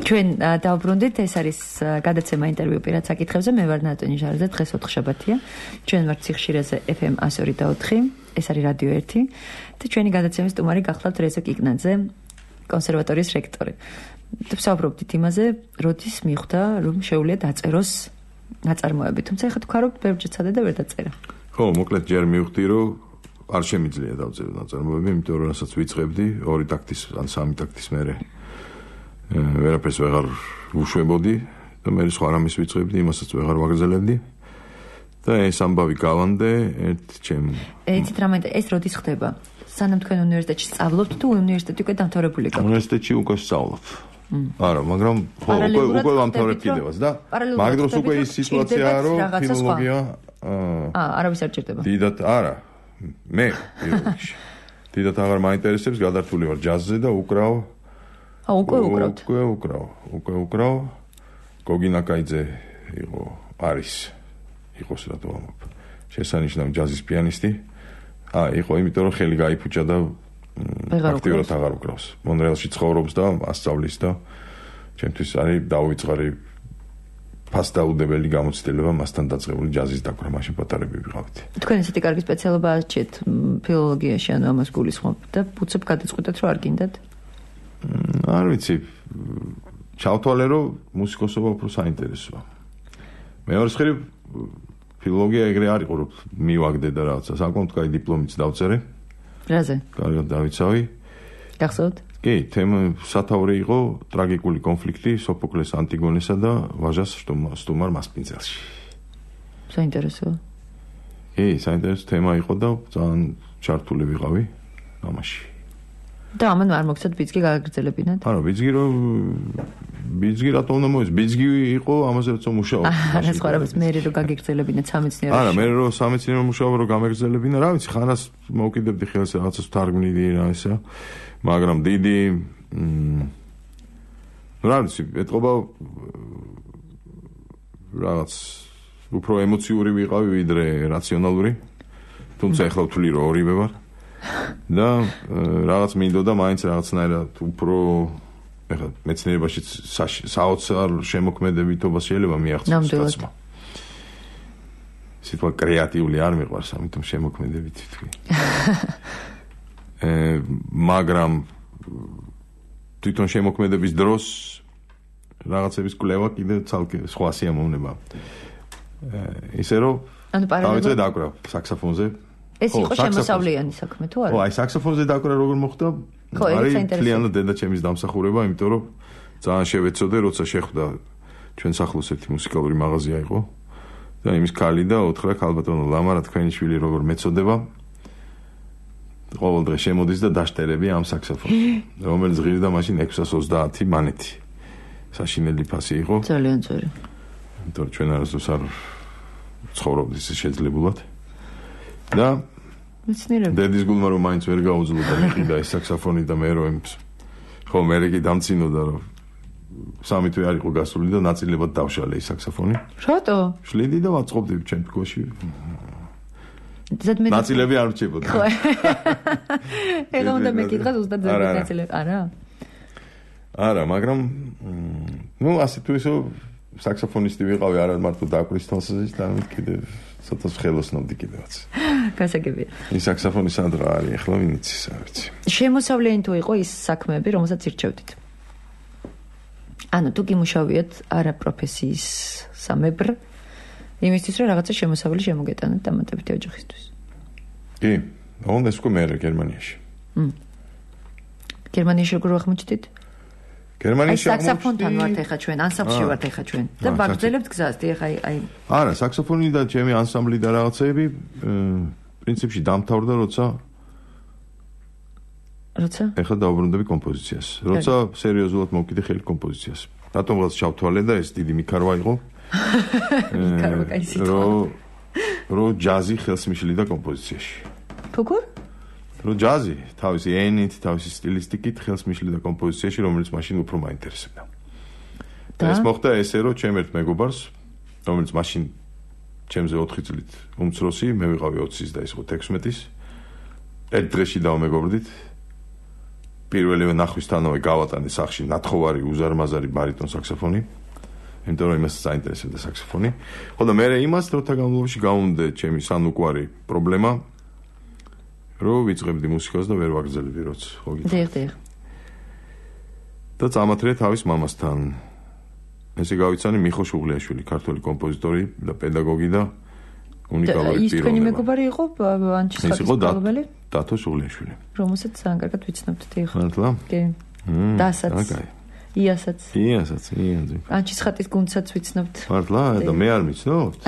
ჩვენ დავბრუნდით, ეს არის გადაცემა ინტერვიუ პირად საკითხებზე. მე ვარ ნატონი ჟარაძე, დღეს ოთხშაბათია. ჩვენ ვართ ციხშირეზე ეფ ემ εκατო ორი და ოთხი, ეს არის რადიო ერთი და ჩვენი გადაცემის სტუმარი გახლავთ რეზო კიკნაძე, კონსერვატორიის რექტორი. და ვსაუბრობდით იმაზე, როდის მიხვდა, რომ შეუძლია დაწეროს ნაწარმოები. თუმცა ეხლა თქვა, რომ ბევრჯერ ცადე და ვერ დაწერა. ხო, მოკლედ ჯერ მივხვდი, რომ არ შემიძლია დავწერო ნაწარმოები, იმიტომ რომ რასაც ვიწყებდი, ორი ტაქტის ან სამი ტაქტის მერე ვერაფერს ვეღარ ვუშვებოდი და მე სხვა რამის ვიწყებდი, იმასაც ვეღარ ვაგრძელებდი. და ეს ამბავი გავანდე ერთ ჩემ. იცით რა მეინტერესებს, ეს როდის ხდება? სანამ თქვენ უნივერსიტეტში სწავლობთ თუ უნივერსიტეტი უკვე დამთავრებული გაქვთ? უნივერსიტეტში უკვე სწავლობ. არა, მაგრამ ხო, უკვე უკვე დამთავრებ კიდევაც და მაგ დროს უკვე ის სიტუაციაა, რომ ფილოლოგია აა, არავის არ ჭირდება. დიდად არა. მე ფილოლოგიაში. დიდად აღარ მაინტერესებს, გადართული ვარ ჯაზზე და უკრავ. აა, უკვე უკრავთ. უკვე უკრავ, უკვე უკრავ. გოგინა კაიძე იყო, არის. იყოს რატო ამბობ. შესანიშნავი ჯაზის პიანისტი. აა, იყო, იმიტომ რომ ხელი გაიფუჭა და აქტიურად აღარ უკრავს. მონრეალში ცხოვრობს და ასწავლის და ჩემთვის არის დაუვიწყარი ფასდაუდებელი გამოცდილება მასთან დაწყებული ჯაზის დაკვრა, მაშინ პატარები ვიყავით. თქვენ ესეთი კარგი სპეციალობა აჩეთ ფილოლოგიაში, ანუ ამას გულისხმობთ და უცებ გადაწყვეტეთ რომ არ გინდათ? არ ვიცი. ჩავთვალე, რომ მუსიკოსობა უფრო საინტერესოა. მეორე მხრივ ფილოლოგია ეგრე არ იყო, რომ მივაგდე და რაღაცა, საკმაოდ კაი დიპლომიც დავწერე. რაზე? კარგად დავიცავი. გახსოვთ? კი, თემა სათავე იყო ტრაგიკული კონფლიქტი სოფოკლეს ანტიგონესა და ვაჟას სტუმარ მასპინძელში. საინტერესოა. კი, საინტერესო თემა იყო და ძალიან ჩართული ვიყავი ამაში. და ამან არ მოგცეთ ბიძგი გაგრძელებინათ? არა, ბიძგი რომ ბიძგი რატომ უნდა მოეც? ბიძგი იყო ამაზე როცა მუშაობ. არა, სხვა რამის მე რო გაგიგრძელებინათ სამეცნიეროში. არა, მე რო სამეცნიერო მუშაობ რო გამეგრძელებინა, რა ვიცი, ხანას მოვკიდებდი ხელს რაღაცას ვთარგმნიდი რა ისა, მაგრამ დიდი რა ვიცი, ეთყობა რაღაც უფრო ემოციური ვიყავი ვიდრე რაციონალური. თუმცა ახლა ვთვლი რომ ორივე ვარ. და რაღაც მინდოდა მაინც რაღაცნაირად უფრო ეხლა მეცნიერებაში საოცარ შემოქმედებითობას შეიძლება მიაღწიოს კაცმა. სიტყვა კრეატიული არ მიყვარს, ამიტომ შემოქმედებითი თქვი. э, მაგრამ თვითონ შემოქმედების დროს რაღაცების კვლევა კიდე ცალკე სხვა სიამოვნება. ისე რომ ანუ პარალელურად დაკვრა საქსოფონზე. ეს იყო შემოსავლიანი საქმე თუ არა? ო, აი საქსოფონზე დაკვრა როგორ მოხდა? არის მთლიანად დედაჩემის დამსახურება, იმიტომ რომ ძალიან შევეცოდე, როცა შეხვდა ჩვენ სახლოს ერთი მუსიკალური მაღაზია იყო და იმის ქალი და უთხრა ქალბატონო ლამარა თქვენი შვილი როგორ მეწოდება? ყოველ დღე შემოდის და დაშტერები ამ საქსოფონს, რომელიც ღირდა მაშინ ექვსას ოცდაათი მანეთი. საშინელი ფასი იყო. ძალიან ძვირი. იმიტომ რომ ჩვენ არასდროს არ ცხოვრობთ ისე შეძლებულად. და მეცნიერები დედის გულმა რომ მაინც ვერ გაუძლო და მიყიდა ეს საქსოფონი და მე რომ ხო მე რეკი დამცინოდა რომ სამი თვე არ იყო გასული და ნაწილებად დავშალე ეს საქსოფონი. რატო? შლიდი და ვაწყობდი ჩემ თქოში. ზედმეტ ნაწილები არ რჩებოდა. ხო. ეხლა უნდა მეკითხა ზუსტად ზედმეტ ნაწილები. არა. არა, მაგრამ ნუ ასე თუ ისო საქსოფონისტი ვიყავი არა მარტო დაკვრის თვალსაზრისით, არამედ კიდევ ცოტა ხელოსნობდი კიდევაც. გასაგებია. ის საქსოფონი სადღა არის, ახლა ვინ იცის, არ ვიცი. შემოსავლიანი თუ იყო ის საქმეები, რომელსაც ირჩევდით? ანუ თუ გიმუშავიათ არა პროფესიის სამებრ, იმისთვის რომ რაღაცა შემოსავალი შემოგეტანათ დამატებითი ოჯახისთვის. კი, უნდა ისკო მე გერმანიაში. მ. გერმანიაში როგორ აღმოჩნდით? გერმანიაში საქსოფონთან ვართ ეხა ჩვენ, ანსამბლში ვართ ეხა ჩვენ. და ვაგრძელებთ გზას, ეხა აი არა, საქსოფონი და ჩემი ანსამბლი და რაღაცეები პრინციპში დამთავრდა, როცა როცა? ეხლა დავუბრუნდები კომპოზიციას. როცა სერიოზულად მოვკიდე ხელი კომპოზიციას. რატომღაც ჩავთვალე და ეს დიდი მიქარვა იყო. მიქარვა კაი სიტყვა. რო რო ჯაზი ხელს მიშლიდა კომპოზიციაში. როგორ? რო ჯაზი თავისი ენით, თავისი სტილისტიკით ხელს მიშლიდა კომპოზიციაში, რომელიც მაშინ უფრო მაინტერესებდა. და ეს მოხდა ესე, რომ ჩემ ერთ მეგობარს, რომელიც მაშინ ჩემზე ოთხი წლით უმცროსი, მე ვიყავი ოცის და ის იყო თექვსმეტის. ერთ დღეში დავმეგობრდით. პირველივე ნახვისთანავე გავატანე სახში ნათხოვარი უზარმაზარი ბარიტონ საქსოფონი. იმიტომ რომ იმას საინტერესებდა საქსოფონი. ხო და მე იმას დროთა განმავლობაში გავუნდე ჩემი სანუკვარი პრობლემა. რომ ვიწყებდი მუსიკას და ვერ ვაგრძელებდი როც ხო გითხარ. დიახ, დიახ. და წამათრე თავის მამასთან. ესე გავიცანი მიხო შუღლიაშვილი, ქართველი კომპოზიტორი და პედაგოგი და უნიკალური ის თქვენი პიროვნება. მეგობარი იყო ანჩისხატის მფლობელი? დათო შუღლიაშვილი. რომელსაც ძალიან კარგად ვიცნობთ, დიახ. მართლა? კი. დასაც. აკაი. იასაც. იასაც, იასაც. ანჩისხატის გუნდსაც ვიცნობთ. მართლა? და მე არ ვიცნობთ?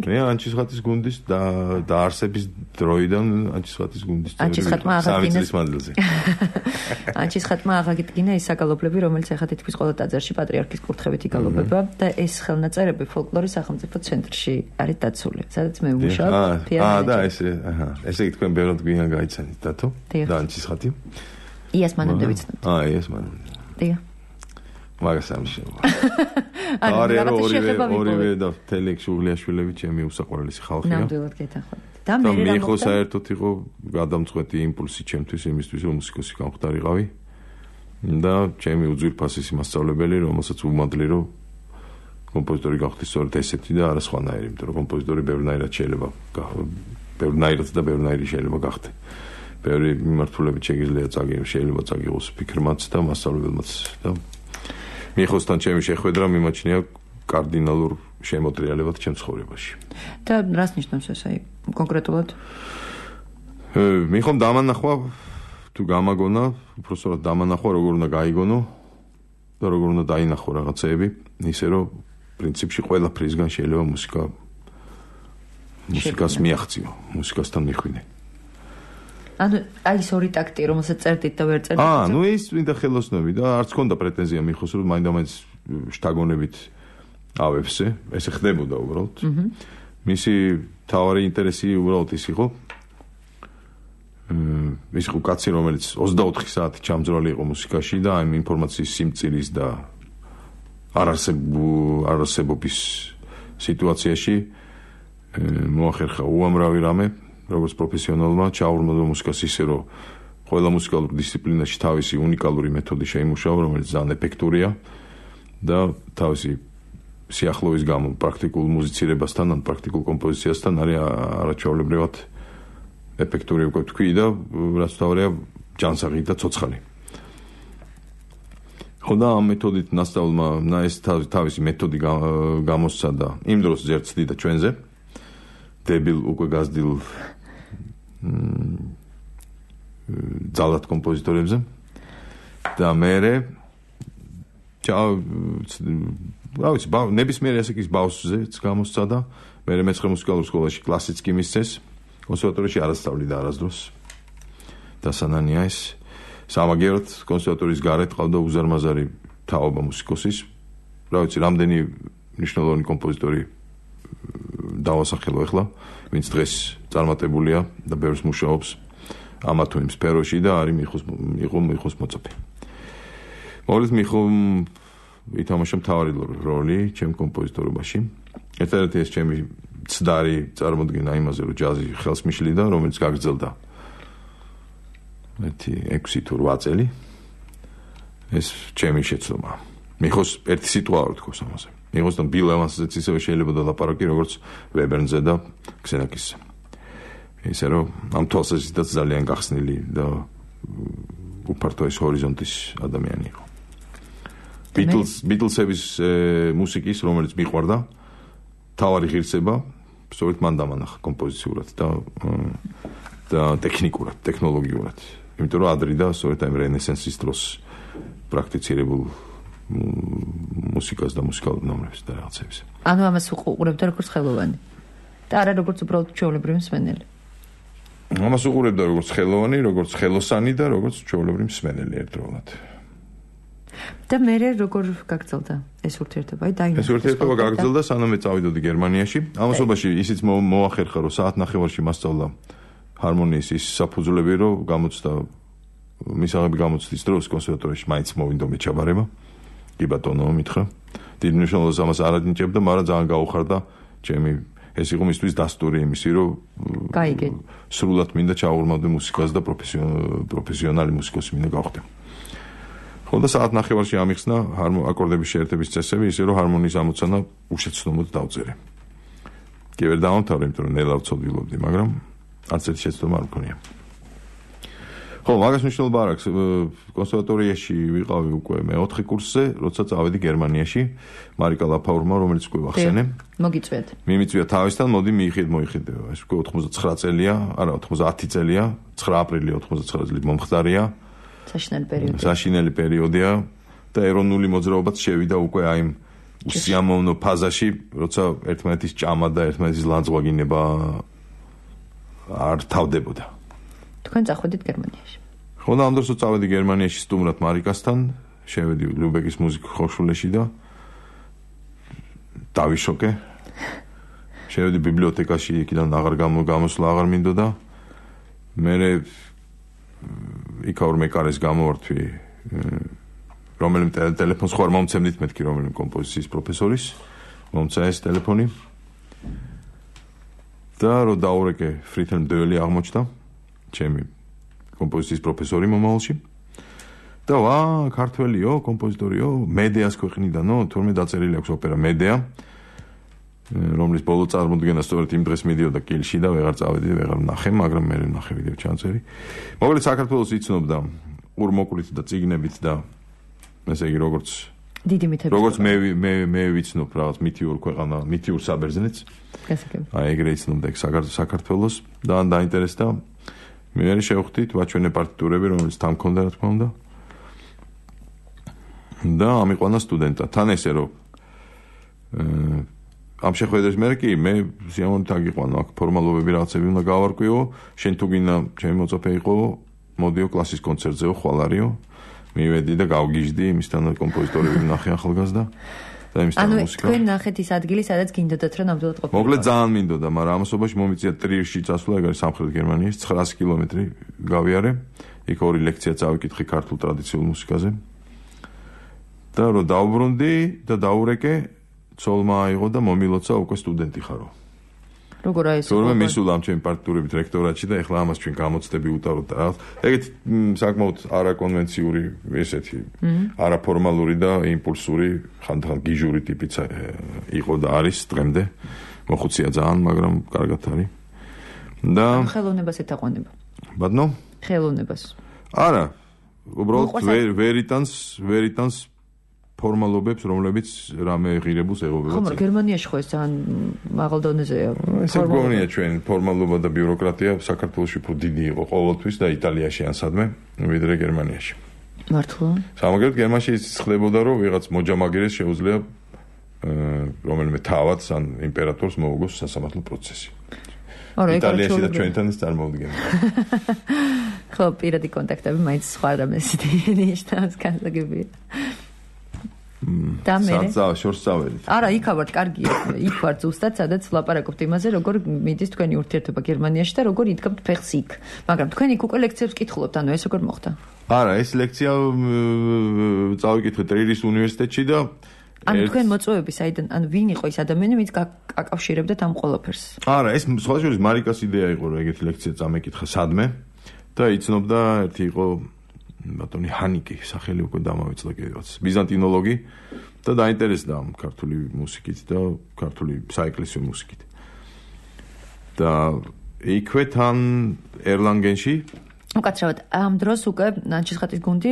მე ანჩისხატის გუნდის და დაარსების დროიდან ანჩისხატის გუნდის წევრი. ანჩისხატმა აღადგინეს სამი წლის მანძილზე. ანჩისხატმა აღადგინა ის საგალობლები, რომელიც ახლა თითქმის ყველა ტაძარში პატრიარქის კურთხევით იგალობება და ეს ხელნაწერები ფოლკლორის სახელმწიფო ცენტრში არის დაცული, სადაც მე ვმუშაობ. აა და ესე, აჰა. ესე თქვენ ბევრად გვიან გაიცანით დათო და ანჩისხატი. იას მანამდე ვიცნობთ. აა, იას მანამდე. დიახ. მაგას ამშევა. არა, ორივე ორივე და თელექ შუღლიაშვილები ჩემი უსაყვარლესი ხალხია. ნამდვილად გეთანხმებით. და და მე მე ხო საერთოდ იყო გადამწყვეტი იმპულსი ჩემთვის იმისთვის რომ მუსიკოსი გამხდარიყავი. და ჩემი უძვირფასესი მასწავლებელი, რომელსაც ვუმადლი რომ კომპოზიტორი გახდი სწორედ ესეთი და არა სხვანაირი, იმიტომ რომ კომპოზიტორი ბევრნაირად შეიძლება ბევრნაირად და ბევრნაირი შეიძლება გახდე. ბევრი მიმართულებით შეიძლება წაგი შეიძლება წაგიღოს ფიქრმაც და მასწავლებელმაც და მიხოსთან ჩემი შეხვედრა მიმაჩნია კარდინალურ შემოტრიალებად ჩემ ცხოვრებაში. და რას ნიშნავს ეს აი კონკრეტულად? მიხომ დამანახვა თუ გამაგონა, უბრალოდ დამანახვა როგორ უნდა გაიგონო და როგორ უნდა დაინახო რაღაცეები, ისე რომ პრინციპში ყველაფრისგან შეიძლება მუსიკა მუსიკას მიაღწიო, მუსიკასთან მიხვიდე. ანუ აი ეს ორი ტაქტი, რომელსაც წერდით და ვერ წერდით. აა, ნუ ის მინდა ხელოსნები და არც ქონდა პრეტენზია მიხოს, რომ მაინდა-მაინც შთაგონებით ავებსე, ესე ხდებოდა უბრალოდ. მისი თავარი ინტერესი უბრალოდ ის იყო. ის იყო კაცი, რომელიც ოცდაოთხი საათი ჩამძრალი იყო მუსიკაში და აი ინფორმაციის სიმწირის და არარსებობის სიტუაციაში მოახერხა უამრავი რამე, როგორც პროფესიონალმა ჩაურმოდა მუსიკას ისე, რომ ყველა მუსიკალურ დისციპლინაში თავისი უნიკალური მეთოდი შეიმუშავა, რომელიც ძალიან ეფექტურია და თავისი სიახლოვის გამო პრაქტიკულ მუსიცირებასთან ან პრაქტიკულ კომპოზიციასთან არის არაჩვეულებრივად ეფექტური უკვე თქვი და რაც თავია ჯანსაღი და ცოცხალი. ხოდა ამ მეთოდით ნასწავლმა ეს თავისი მეთოდი გამოსცა და იმ დროს ზერცდიდა ჩვენზე დებილ უკვე გაზრდილ ძალად კომპოზიტორებზე და მერე რა ვიცი ნებისმიერი ასაკის ბავშვზეც გამოსცა და მერე მეცხრე მუსიკალურ სკოლაში კლასიც კი მისცეს კონსერვატორიაში არასწავლიდა არასდროს და სანანია ეს სამაგიეროდ კონსერვატორიის გარეთ ყავდა უზარმაზარი თაობა მუსიკოსის რა ვიცი რამდენი მნიშვნელოვანი კომპოზიტორი დავასახელო ახლა ვინც დღეს წარმატებულია და ბევრს მუშაობს ამა თუ იმ სფეროში და არის მიხოს იყო მიხოს მოწაფე მოგლით მიხომ ითამაშა მთავარი როლი ჩემ კომპოზიტორობაში ერთადერთი ეს ჩემი ცდარი წარმოდგენა იმაზე რომ ჯაზი ხელს მიშლიდა რომელიც გაგრძელდა ერთი ექვსი თუ რვა წელი ეს ჩემი შეცდომა მიხოს ერთი სიტუა რო თქოს ამაზე მიხოსთან ბილ ევანსზეც ისევე შეიძლება დალაპარაკი როგორც ვებერნზე და ქსენაკისზე ისე რომ ამ თვალსაზრისითაც ძალიან გახსნილი და უფართო ეს ჰორიზონტის ადამიანი იყო ბიტლს ბიტლსების მუსიკის რომელიც მიყვარდა თავარი ღირსება სწორედ მან დამანახა კომპოზიციურად და და ტექნიკურად, ტექნოლოგიურად. იმიტომ რომ ადრიდა სწორედ ამ რენესანსის დროს პრაქტიცირებულ მუსიკას და მუსიკალურ ნომრებს და რაღაცებს. ანუ ამას უყურებდა როგორც ხელოვანი და არა როგორც უბრალოდ ჩვეულებრივი მსმენელი. ამას უყურებდა როგორც ხელოვანი, როგორც ხელოსანი და როგორც ჩვეულებრივი მსმენელი ერთდროულად. და მე როგორ გაგრძელდა ეს ურთიერთობა? აი დაინახე. ეს ურთიერთობა გაგრძელდა სანამ წავიდოდი გერმანიაში. ამასობაში ისიც მოახერხა რომ საათ ნახევარში მასწავლა ჰარმონიის ის საფუძვლები რომ გამოცდა მისაღები გამოცდის დროს კონსერვატორიაში მაინც მოვინდო მეჩაბარება. კი ბატონო მითხრა. დიდ მნიშვნელობას ამას არ ადნიჭებდა, მაგრამ ძალიან გაუხარდა ჩემი ეს იყო მისთვის დასტური იმისი რომ გაიგე. სრულად მინდა ჩაურმავდე მუსიკას და პროფესიონალი მუსიკოსი მინდა გავხდე. ხოდა საათ ნახევარში ამიხსნა აკორდების შეერთების წესები ისე რომ ჰარმონიის ამოცანა უშეცდომოდ დავწერე. კი ვერ დავამთავრე, იმიტომ რომ ნელა ვცოდვილობდი, მაგრამ არც ერთი შეცდომა არ მქონია. ხო, მაგას მნიშვნელობა არ აქვს. კონსერვატორიაში ვიყავი უკვე მეოთხე კურსზე, როცა წავედი გერმანიაში, მარიკა ლაფაურმა, რომელიც უკვე ვახსენე. მოგიწვიეთ. მიმიწვია თავისთან, მოდი მიიხიდ მოიხიდეო. ეს უკვე ოთხმოცდაცხრა წელია, არა ოთხმოცდაათი წელია, ცხრა აპრილი ოთხმოცდაცხრა წელი მომხდარია. საშინელი პერიოდი. საშინელი პერიოდია და ეროვნული მოძრაობაც შევიდა უკვე აი იმ უსიამოვნო ფაზაში, როცა ერთმანეთის ჭამა და ერთმანეთის ლანძღვაგინება არ თავდებოდა. თქვენ წახვედით გერმანიაში. ხო და ამ დროს წავედი გერმანიაში სტუმრად მარიკასთან, შევედი ლუბეკის მუსიკურ ხოხშულეში და დავიშოკე. შევედი ბიბლიოთეკაში, იქიდან აღარ გამოსვლა აღარ მინდოდა. მე იქაურ მეკარეს გამოვართვი რომელიმე ტელეფონს ხო არ მომცემდით მეთქი რომელიმე კომპოზიციის პროფესორის მომცა ეს ტელეფონი და რო დაურეკე ფრითენ მდეველი აღმოჩნდა ჩემი კომპოზიციის პროფესორი მომავალში და ვა ქართველიო კომპოზიტორიო მედეას ქვეყნიდანო თორმეტ დაწერილი აქვს ოპერა მედეა რომლის ბოლო წარმოდგენა სწორედ იმ დღეს მიდიოდა კილში და ვეღარ წავედი, ვეღარ ვნახე, მაგრამ მე ვნახე ვიდეო ჩანწერი. მოკლედ საქართველოს იცნობდა ურმოკლით და ციგნებით და ესე იგი როგორც დიდი მითები. როგორც მე მე მე ვიცნობ რაღაც მითიურ ქვეყანა, მითიურ საბერძნეთს. გასაგები. აი ეგრე იცნობდა ეგ საქართველოს და დაინტერესდა. მე მე შევხვდით ვაჩვენე პარტიტურები, რომელიც თან მქონდა, რა თქმა უნდა. და ამიყვანა სტუდენტად. თან ესე რომ ამ შეხვედრის მერე კი მე სიამოვნებით აგიყვანა, აქ ფორმალობები რაღაცები უნდა გავარკვიო, შენ თუ გინდა ჩემი მოწაფე იყო, მოდიო კლასის კონცერტზეო, ხვალ არისო. მივედი და გავგიჟდი იმისთან კომპოზიტორები ვნახე ახალგაზრდა და იმისთან მუსიკა. ანუ თქვენ ნახეთ ის ადგილი, სადაც გინდოდათ რომ ნამდვილად ყოფილიყო. მოკლედ ძალიან მინდოდა, მაგრამ ამასობაში მომიწია ტრიერში წასვლა, ეგ არის სამხრეთ გერმანიის ცხრაასი კილომეტრი გავიარე. იქ ორი ლექცია წავიკითხე ქართულ ტრადიციულ მუსიკაზე. და რომ დავბრუნდი და დაურეკე, ცოლმა აიღო და მომილოცა უკვე სტუდენტი ხარო. როგორ აი ეს? თორმე მისულა ამ ჩემი პარტიტურებით რექტორატში და ეხლა ამას ჩვენ გამოცდები ვუტაროთ და რაღაც. ეგეთ საკმაოდ არაკონვენციური ესეთი, არაფორმალური და იმპულსური, ხანდახან გიჟური ტიპიც იყო და არის დღემდე. მოხუცია ძალიან, მაგრამ კარგად არის. და ხელოვნებას ეთაყვანება. ბატონო? ხელოვნებას. არა, უბრალოდ ვერიტანს, ვერიტანს ფორმალობებს, რომლებიც რამე ღირებულს ეღობება. ხომ რა გერმანიაში ხო ეს ძალიან მაღალ დონეზეა. ესე გონია ჩვენ ფორმალობა და ბიუროკრატია საქართველოში უფრო დიდი იყო ყოველთვის და იტალიაში ან სადმე, ვიდრე გერმანიაში. მართლა? სამაგერად გერმანიაში ის ხდებოდა, რომ ვიღაც მოჯამაგირეს შეუძლია რომელიმე თავადს ან იმპერატორს მოუგოს სასამართლო პროცესი. იტალიაში და ჩვენთან ის წარმოუდგენია. ხო, პირადი კონტაქტები მაინც სხვა რამეს ნიშნავს განსაგებია. და მე შორს წავედით. არა, იქ ვარ, კარგია. იქ ვარ ზუსტად, სადაც ვლაპარაკობთ იმაზე, როგორ მიდის თქვენი ურთიერთობა გერმანიაში და როგორ იდგამთ ფეხს იქ. მაგრამ თქვენ იქ უკვე ლექციებს კითხულობთ, ანუ ეს როგორ მოხდა? არა, ეს ლექცია წავიკითხე ტრირის უნივერსიტეტში და ანუ თქვენ მოწვევები საიდან, ანუ ვინ იყო ის ადამიანი, ვინც აკავშირებდათ ამ ყველაფერს? არა, ეს სხვა შორის მარიკას იდეა იყო, რომ ეგეთი ლექცია წამეკითხა სადმე და იცნობდა ერთი იყო ბატონი ჰანიკი, სახელი უკვე დამავიწყდა კიდევაც, ბიზანტინოლოგი და დაინტერესდა ამ ქართული მუსიკით და ქართული საეკლესიო მუსიკით. და იქვე თან ერლანგენში უკაცრავად, ამ დროს უკვე ნანჩისხატის გუნდი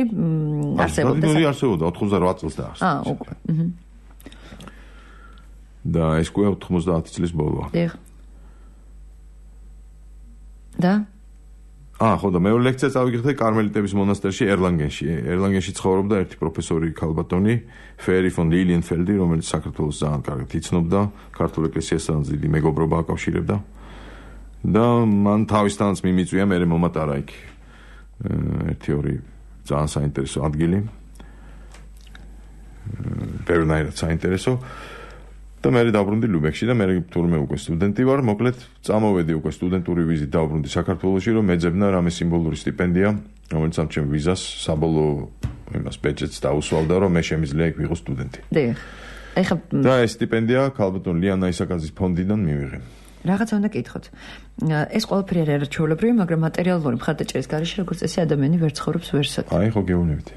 არსებობდა. გუნდი არსებობდა ოთხმოცდაოთხ წელს დაარსდა. აა, უკვე. აჰა. და ეს უკვე ოთხმოცდაათი წლის ბოლოა. დიახ. და აა, ხო და მეორე ლექცია წავიკითხე კარმელიტების მონასტერში ერლანგენში. ერლანგენში ცხოვრობდა ერთი პროფესორი ქალბატონი, ფერი ფონ ლილიენფელდი, რომელიც საქართველოს ძალიან კარგად იცნობდა, ქართულ ეკლესიასთან დიდი მეგობრობა აკავშირებდა. და მან თავისთანაც მიმიწვია მე მომატარა იქ ერთი ორი ძალიან საინტერესო ადგილი. ბევრნაირად საინტერესო. და მე დაბრუნდი ლუბექში და მე თურმე უკვე სტუდენტი ვარ, მოკლედ წამოვედი უკვე სტუდენტური ვიზით დაბრუნდი საქართველოში, რომ მეძებნა რამე სიმბოლური სტიპენდია, რომელიც ამ ჩემ ვიზას საბოლოო იმას ბეჯეტს დაუსვალდა, რომ მე შემიძლია იქ ვიყო სტუდენტი. დიახ. ეხლა და ეს სტიპენდია ქალბატონ ლიანა ისაკაძის ფონდიდან მივიღე. რაღაცა უნდა კითხოთ. ეს ყველაფერი არ არის ჩვეულებრივი, მაგრამ მატერიალური მხარდაჭერის გარეშე როგორც წესი ადამიანი ვერ ცხოვრობს ვერსად. აი ხო გეუბნებით.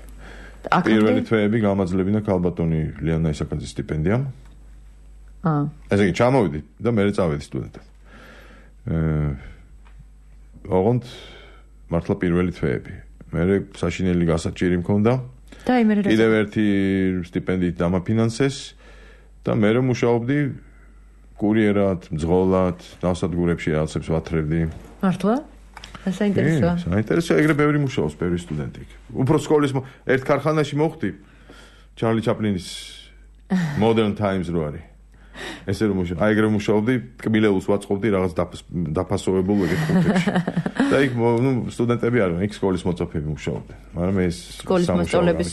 პირველი თვეები გამაძლებინა ქალბატონი ლიანა ისაკაძის სტიპენდიამ. აა. ესე იგი ჩამოვიდი და მე წავედი სტუდენტად. აა ოღონდ მართლა პირველი თვეები. მე საშინელი გასაჭირი მქონდა. და აი მე რა კიდევ ერთი სტიპენდიით დამაფინანსეს და მე მუშაობდი კურიერად, მძღოლად, ნავსადგურებში რაღაცებს ვათრევდი. მართლა? საინტერესოა. საინტერესოა, ეგრე ბევრი მუშაობს, ბევრი სტუდენტი. უფრო სკოლის ერთ ქარხანაში მოხვდი ჩარლი ჩაპლინის Modern Times რო არის. ესე რომ მუშაობ, აი ეგრე მუშაობდი, კბილეულს ვაწყობდი რაღაც დაფასოვებულ ეგეთ პუნქტებში. და იქ ნუ სტუდენტები არიან, იქ სკოლის მოწაფეები მუშაობდნენ. მაგრამ ეს სკოლის მოსწავლეების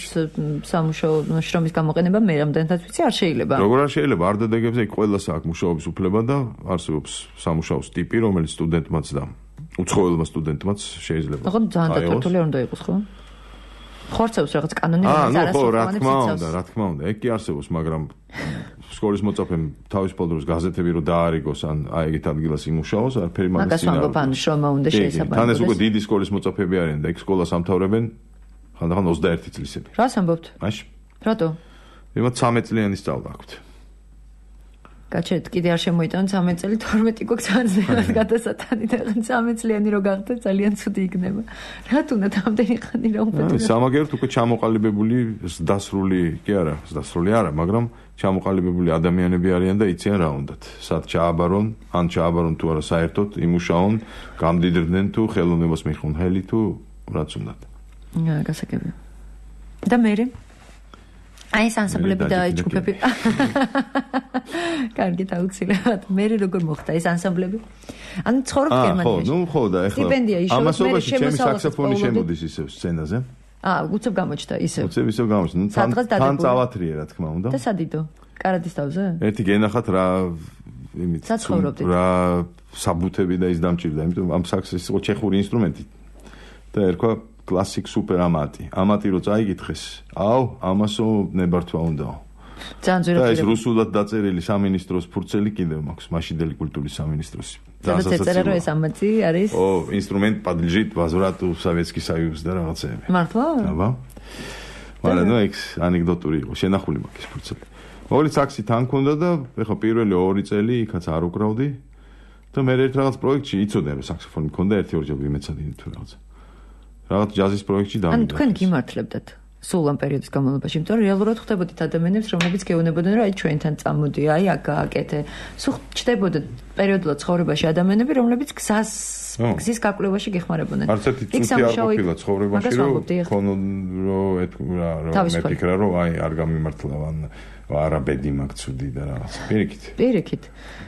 სამუშაო შრომის გამოყენება მე რამდენადაც ვიცი არ შეიძლება. როგორ არ შეიძლება, არ დადეგებზე იქ ყველას აქვს მუშაობის უფლება და არსებობს სამუშაოს ტიპი, რომელიც სტუდენტმაც და უცხოელმა სტუდენტმაც შეიძლება. ხო, ძალიან დატვირთული არ უნდა იყოს, ხო? ხორცევს რაღაც კანონი რომელიც არასოდეს რა თქმა უნდა, რა თქმა უნდა, ეგ კი არსებობს, მაგრამ სკოლის მოწაფემ თავისუფალ დროს გაზეთები რო დაარიგოს ან აი ეგეთ ადგილას იმუშაოს, არაფერი მაგას მაგას ვამბობ, ან შრომა უნდა შეესაბამებოდეს. თან ეს უკვე დიდი სკოლის მოწაფეები არიან და ეგ სკოლას ამთავრებენ ხანდახან ოცდაერთი წლისები. რას ამბობთ? მაშ? რატო? იმათ ცამეტ წლიანი სწავლა აქვთ. გაჩერდ კიდე არ შემოიტანოთ ცამეტ წელი თორმეტი გვაქვს ანზემად გადასატანი და ცამეტ წლიანი რო გახდეთ ძალიან ცუდი იქნება. რატ უნდა ამდენი ხანი რა უპეტრო? სამაგერთ უკვე ჩამოყალიბებული დასრული კი არა, დასრული არა, მაგრამ ჩამოყალიბებული ადამიანები არიან და იციან რა უნდათ. სად ჩააბარონ, ან ჩააბარონ თუ არა საერთოდ, იმუშაონ, გამდიდრდნენ თუ ხელოვნებას მიხონ ხელი თუ რაც უნდათ. აა, გასაგებია. და მე აი ეს ანსამბლები და ჯგუფები. კარგი დაუცილებლად. მე როგორ მოხდა ეს ანსამბლები? ან ცხოვრობ გერმანიაში. ხო, ნუ ხო და ეხლა სტიპენდია იშოვეთ, ამასობაში ჩემი საქსოფონი შემოდის ისევ სცენაზე. აა, უცებ გამოჩნდა ისევ. უცებ ისევ გამოჩნდა. ნუ თან თან წავათრიე რა თქმა უნდა. და სადიდო? კარადის თავზე? ერთი გენახათ რა იმით რა საბუთები და ის დამჭირდა, იმიტომ ამ საქსის იყო ჩეხური ინსტრუმენტი. და ერქვა კლასიკ სუპერ ამატი. ამატი რო წაიგითხეს, აუ, ამასო ნებართვა უნდაო. ძალიან ძვირი. და ეს რუსულად დაწერილი სამინისტროს ფურცელი კიდევ მაქვს, მაშინდელი კულტურის სამინისტროს. სადაც ეწერა რომ ეს ამატი არის? ო, ინსტრუმენტ подлежит возврату в Советский Союз და რაღაცეები. მართლა? აბა. მაგრამ ნუ ეს ანეკდოტური იყო, შენახული მაქვს ეს ფურცელი. ორი საქსი თან ქონდა და ეხა პირველი ორი წელი იქაც არ უკრავდი. და მე ერთ რაღაც პროექტში იცოდნენ რომ საქსოფონი მქონდა ერთი-ორი ჯერ ვიმეცადინე თუ რაღაცა. რაღაც ჯაზის პროექტში დავიდა. ანუ თქვენ გიმართლებდათ სულ ამ პერიოდის განმავლობაში, იმიტომ რომ რეალურად ხვდებოდით ადამიანებს, რომლებიც გეუბნებოდნენ, რომ აი ჩვენთან წამოდი, აი აქ გააკეთე. სულ ჩდებოდა პერიოდულად ცხოვრებაში ადამიანები, რომლებიც გზას გზის გაკვლევაში გეხმარებოდნენ. არც ერთი წუთი არ ყოფილა ცხოვრებაში, რომ ქონონ რომ ეთქვა რომ მეთქრა რომ აი არ გამიმართლავან არაბედი მაქვს ცუდი და რაღაც. პირიქით. პირიქით.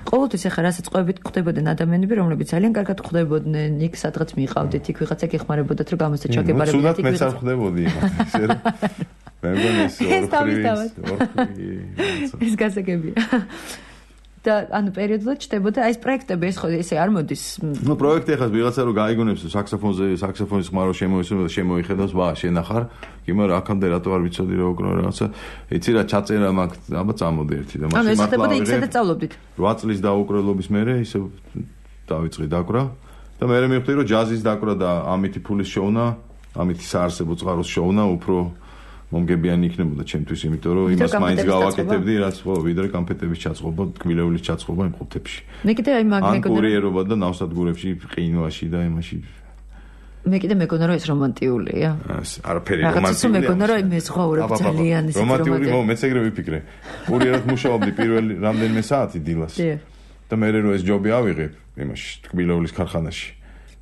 ყოველთვის ახლა რასაც ყვებით ხვდებოდნენ ადამიანები, რომლებიც ძალიან კარგად ხვდებოდნენ, იქ სადღაც მიყავდით, იქ ვიღაცა გეხმარებოდათ, რომ გამოსდეთ ჩაგებარებოდეთ. ცუდად მეც არ ხვდებოდი იმათ, ისე რომ მე მგონი ეს ორქრი. ეს გასაგებია. და ანუ პერიოდულად ჩდებოდა აი ეს პროექტები ეს ხო ესე არ მოდის. ნუ პროექტი ახლა ვიღაცა რომ გაიგონებს საქსოფონზე, საქსოფონის ხმარო შემოისმენს, შემოიხედავს, ვა, შენახარ, კი მაგრამ აქამდე რატო არ ვიცოდი რა უკრავ რაღაცა. იცი რა ჩაწერა მაქვს, აბა წამოდი ერთი და მაშინ მართლა. ანუ ეს ხდებოდა იქ-სადაც სწავლობდით. რვა წლის დაუკრელობის მერე ისე დავიწყე დაკვრა და მე მივხვდი რომ ჯაზის დაკვრა და ამითი ფულის შოვნა, ამითი საარსებო წყაროს შოვნა უფრო მომგებიანი იქნებოდა ჩემთვის, იმიტომ რომ იმას მაინც გავაკეთებდი, რაც ხო, ვიდრე კამფეტების ჩაწყობა, ტკბილეულის ჩაწყობა იმ ხუთებში. მე კიდე აი მაგ მეგონა კურიერობა და ნავსადგურებში, ყინვაში და იმაში. მე კიდე მეგონა რომ ეს რომანტიულია. არაფერი რომანტიულია. რაღაცა მეგონა რომ მე ზღაურებ ძალიან ის რომანტიული, მო მეც ეგრე ვიფიქრე. კურიერად მუშაობდი პირველი რამდენიმე საათი დილას. და მე რო ეს ჯობი ავიღებ იმაში, ტკბილეულის ქარხანაში.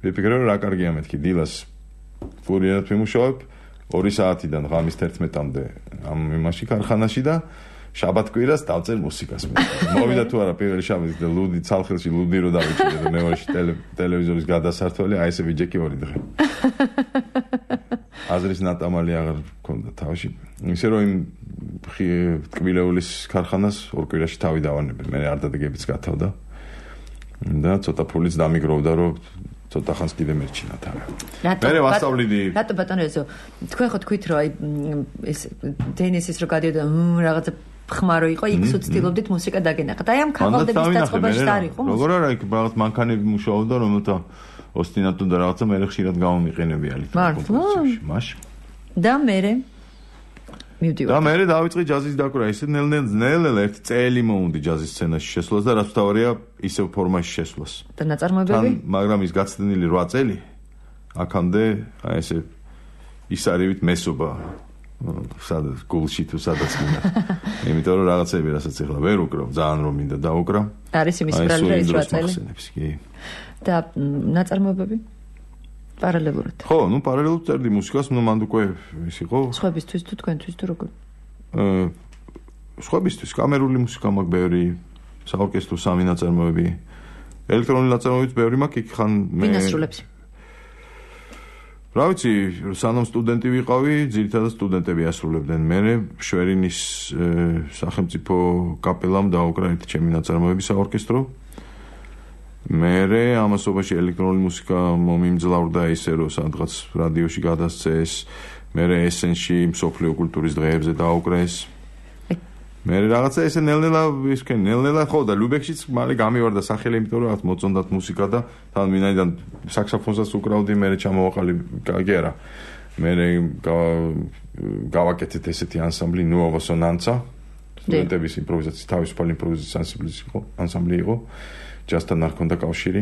ვიფიქრე რომ რა კარგია მეთქი დილას კურიერად ვიმუშაობ. ორი საათიდან ღამის თერთმეტამდე ამ იმაში ქარხანაში და შაბათ კვირას დავწერ მუსიკას მე. მოვიდა თუ არა პირველი შაბათი და ლუდი ცალხილში ლუდი რო დავიჭირე და მეორეში ტელევიზორის გადასართველი აი ესე ვიჯექი ორი დღე. აზრის ნატამალი აღარ მქონდა თავში. ისე რომ იმ ტკბილეულის ქარხანას ორ კვირაში თავი დავანებე. მე არ დადეგებიც გათავდა. და ცოტა ფულიც დამიგროვდა რომ ცოტა ხანს კიდე მერჩინა თავი. მე ვასწავლიდი. რატო ბატონო ესო თქვენ ხო თქვით რომ აი ეს დენისის რო გადიოდა რაღაცა ხმარო იყო, იქ სუცდილობდით მუსიკა დაგენახათ. აი ამ ქაღალდების დაწყობაში არ იყო? როგორ არა იქ რაღაც მანქანები მუშაობდა, რომელთა ოსტინატო და რაღაცა მე ხშირად გამომიყენებიალი. მაშ. და მე მივდივარ. და მე დავიწყე ჯაზის დაკვრა, ისე ნელ-ნელ ნელ-ნელ ერთი წელი მოუნდი ჯაზის სცენაში შესვლას და რაც თავარია ისევ ფორმაში შესვლას. და ნაწარმოებები? მაგრამ ის გაცდენილი რვა წელი აქამდე აი ესე ისარივით მესობა სადაც გულში თუ სადაც მინდა. იმიტომ რომ რაღაცები რასაც ეხლა ვერ უკრავ, ძალიან რომ მინდა დაუკრავ. არის იმის ბრალი და ის რვა წელი. და ნაწარმოებები? პარალელურად. ხო, ნუ პარალელურად წერდი მუსიკას, ნუ მანდ უკვე ის იყო. სხვებისთვის თუ თქვენთვის თუ როგორ? აა სხვებისთვის კამერული მუსიკა მაქვს ბევრი, საორკესტრო სამი ნაწარმოები. ელექტრონული ნაწარმოებიც ბევრი მაქვს, იქ ხან მე ვინასრულებს. რა ვიცი, სანამ სტუდენტი ვიყავი, ძირითადად სტუდენტები ასრულებდნენ. მე შვერინის სახელმწიფო კაპელამ დაუკრა ერთი ჩემი ნაწარმოები საორკესტრო. მერე ამასობაში ელექტრონული მუსიკა მომიმძლავრდა ისე რომ სადღაც რადიოში გადასცეს, მერე ესენში მსოფლიო კულტურის დღეებზე დაუკრეს. მერე რაღაცა ესე ნელ-ნელა ისქენ ნელ-ნელა ხო და ლუბექშიც მალე გამივარდა სახელი, იმიტომ რომ რაღაც მოწონდათ მუსიკა და თან მინაიდან საქსოფონსაც უკრავდი, მერე ჩამოვაყალი გაგერა. მერე გავაკეთეთ ესეთი ანსამბლი ნუოვა სონანცა, სტუდენტების იმპროვიზაციის თავისუფალი იმპროვიზაციის ანსამბლი იყო, ანსამბლი იყო, ჯაზთან არ ჰქონდა კავშირი.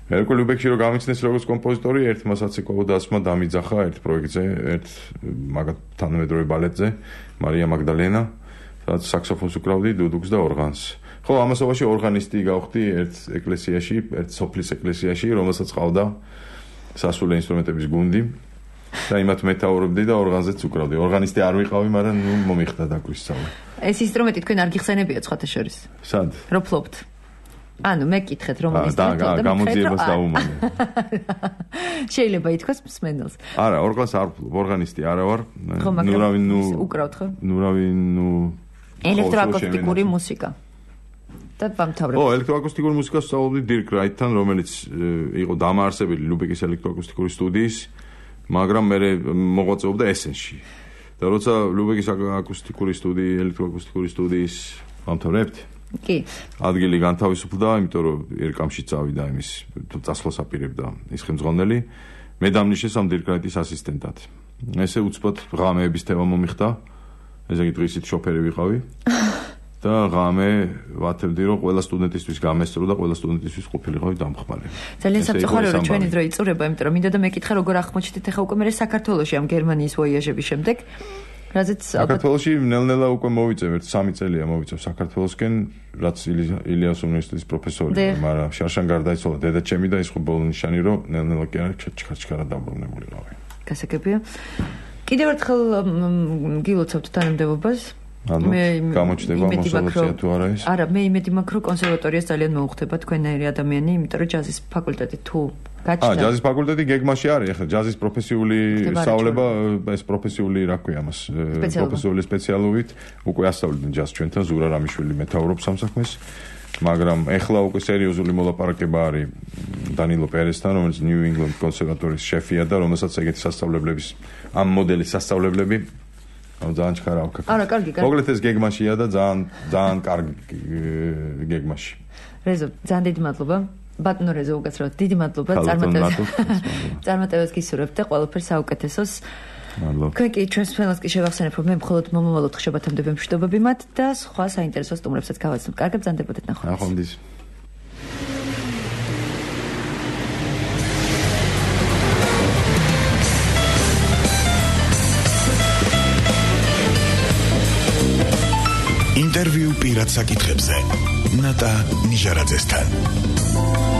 მერკვე ლუბექში რომ გამიცნეს როგორც კომპოზიტორი, ერთმა საცეკვაო დასმა დამიძახა ერთ პროექტზე, ერთ მაგათ თანამედროვე ბალეტზე, მარია მაგდალენა, სადაც საქსოფონს უკრავდი, დუდუქს და ორღანს. ხო, ამასობაში ორღანისტი გავხდი ერთ ეკლესიაში, ერთ სოფლის ეკლესიაში, რომელსაც ყავდა სასულე ინსტრუმენტების გუნდი და იმათ მეთაურობდი და ორღანზეც უკრავდი. ორღანისტი არ ვიყავი, მაგრამ ნუ მომიხდა დაგვისწავლა. ეს ინსტრუმენტი თქვენ არ გიხსენებიათ სხვათა შორის? სად? რო ფლობთ. ანუ მე კითხეთ რომ ის და გამოძიებას დაუმალე. შეიძლება ითქვას მსმენელს. არა, ორღანს არ ვფლობ, ორღანისტი არა ვარ. ნუ რავი ნუ უკრავთ ხო? ნუ რავი ნუ ელექტროაკუსტიკური მუსიკა. და ბამთავრებ. ო, ელექტროაკუსტიკური მუსიკას ვსწავლობდი დირკ რაიტთან, რომელიც იყო დამაარსებელი ლუბეკის ელექტროაკუსტიკური სტუდიის, მაგრამ მე მოღვაწეობდა ესენში. და როცა ლუბეკის აკუსტიკური სტუდია, ელექტროაკუსტიკური სტუდიის ბამთავრებთ, კი. ადგილი განთავისუფლდა, იმიტომ რომ ერკამში წავიდა იმის წასვლას აპირებდა ის ხელმძღვანელი. მე დამნიშნეს ამ დირკ რაიტის ასისტენტად. ესე უცბად ღამეების თემა მომიხდა. ესე იგი დღისით შოფერი ვიყავი. და ღამე ვათებდი რომ ყველა სტუდენტისთვის გამესწრო და ყველა სტუდენტისთვის ყოფილიყავი დამხმარე. ძალიან საფრთხეა რომ ჩვენი დრო იწურება, იმიტომ რომ მინდოდა მეკითხა როგორ აღმოჩნდით ახლა უკვე მე საქართველოში ამ გერმანიის ვოიაჟების შემდეგ. რაზეც საქართველოში ნელ-ნელა უკვე მოვიწევ, ერთ სამი წელია მოვიწევ საქართველოსკენ, რაც ილიას უნივერსიტეტის პროფესორი, მაგრამ შარშან გარდაიცვალა დედაჩემი და ის ხო ბოლო ნიშანი რომ ნელ-ნელა კი არა ჩქარჩქარა დაბრუნებულიყავი. გასაგებია. კიდევ ერთხელ გილოცავთ თანამდებობას. ანუ გამოჩნდება მოსალოცია თუ არა ის? არა, მე იმედი მაქვს რომ კონსერვატორიას ძალიან მოუხდება თქვენნაირი ადამიანი, იმიტომ რომ ჯაზის ფაკულტეტი თუ გაჩნდა. აა, ჯაზის ფაკულტეტი გეგმაში არის, ახლა ჯაზის პროფესიული სწავლება, ეს პროფესიული რა ქვია მას, პროფესიული სპეციალობით, უკვე ასწავლიდნენ ჯაზს ჩვენთან, ზურა რამიშვილი მეთაურობს ამ საქმეს, მაგრამ ახლა უკვე სერიოზული მოლაპარაკება არის დანილო პერესთან, რომელიც ნიუ ინგლენდ კონსერვატორიის შეფია და რომელსაც ეგეთი სასწავლებლების ამ მოდელის სასწავლებლები აუ ძალიან ჩქარა აქვს. არა, კარგი, კარგი. მოკლედ ეს გეგმაშია და ძალიან ძალიან კარგი გეგმაში. რეზო, ძალიან დიდი მადლობა. ბატონო რეზო უკაცრავად, დიდი მადლობა წარმატებას. წარმატებას გისურვებთ და ყველაფერს საუკეთესოს. მადლობა. თქვენ კი ჩვენს ფენელს კი შევახსენებ, რომ მე მხოლოდ მომავალ ოთხშაბათამდე მშვიდობები მათ და სხვა საინტერესო სტუმრებსაც გავაცნობ. კარგად ბრძანდებოდეთ ნახვამდის. ნახვამდის. ინტერვიუ პირად საკითხებზე ნატა ნიჟარაძესთან.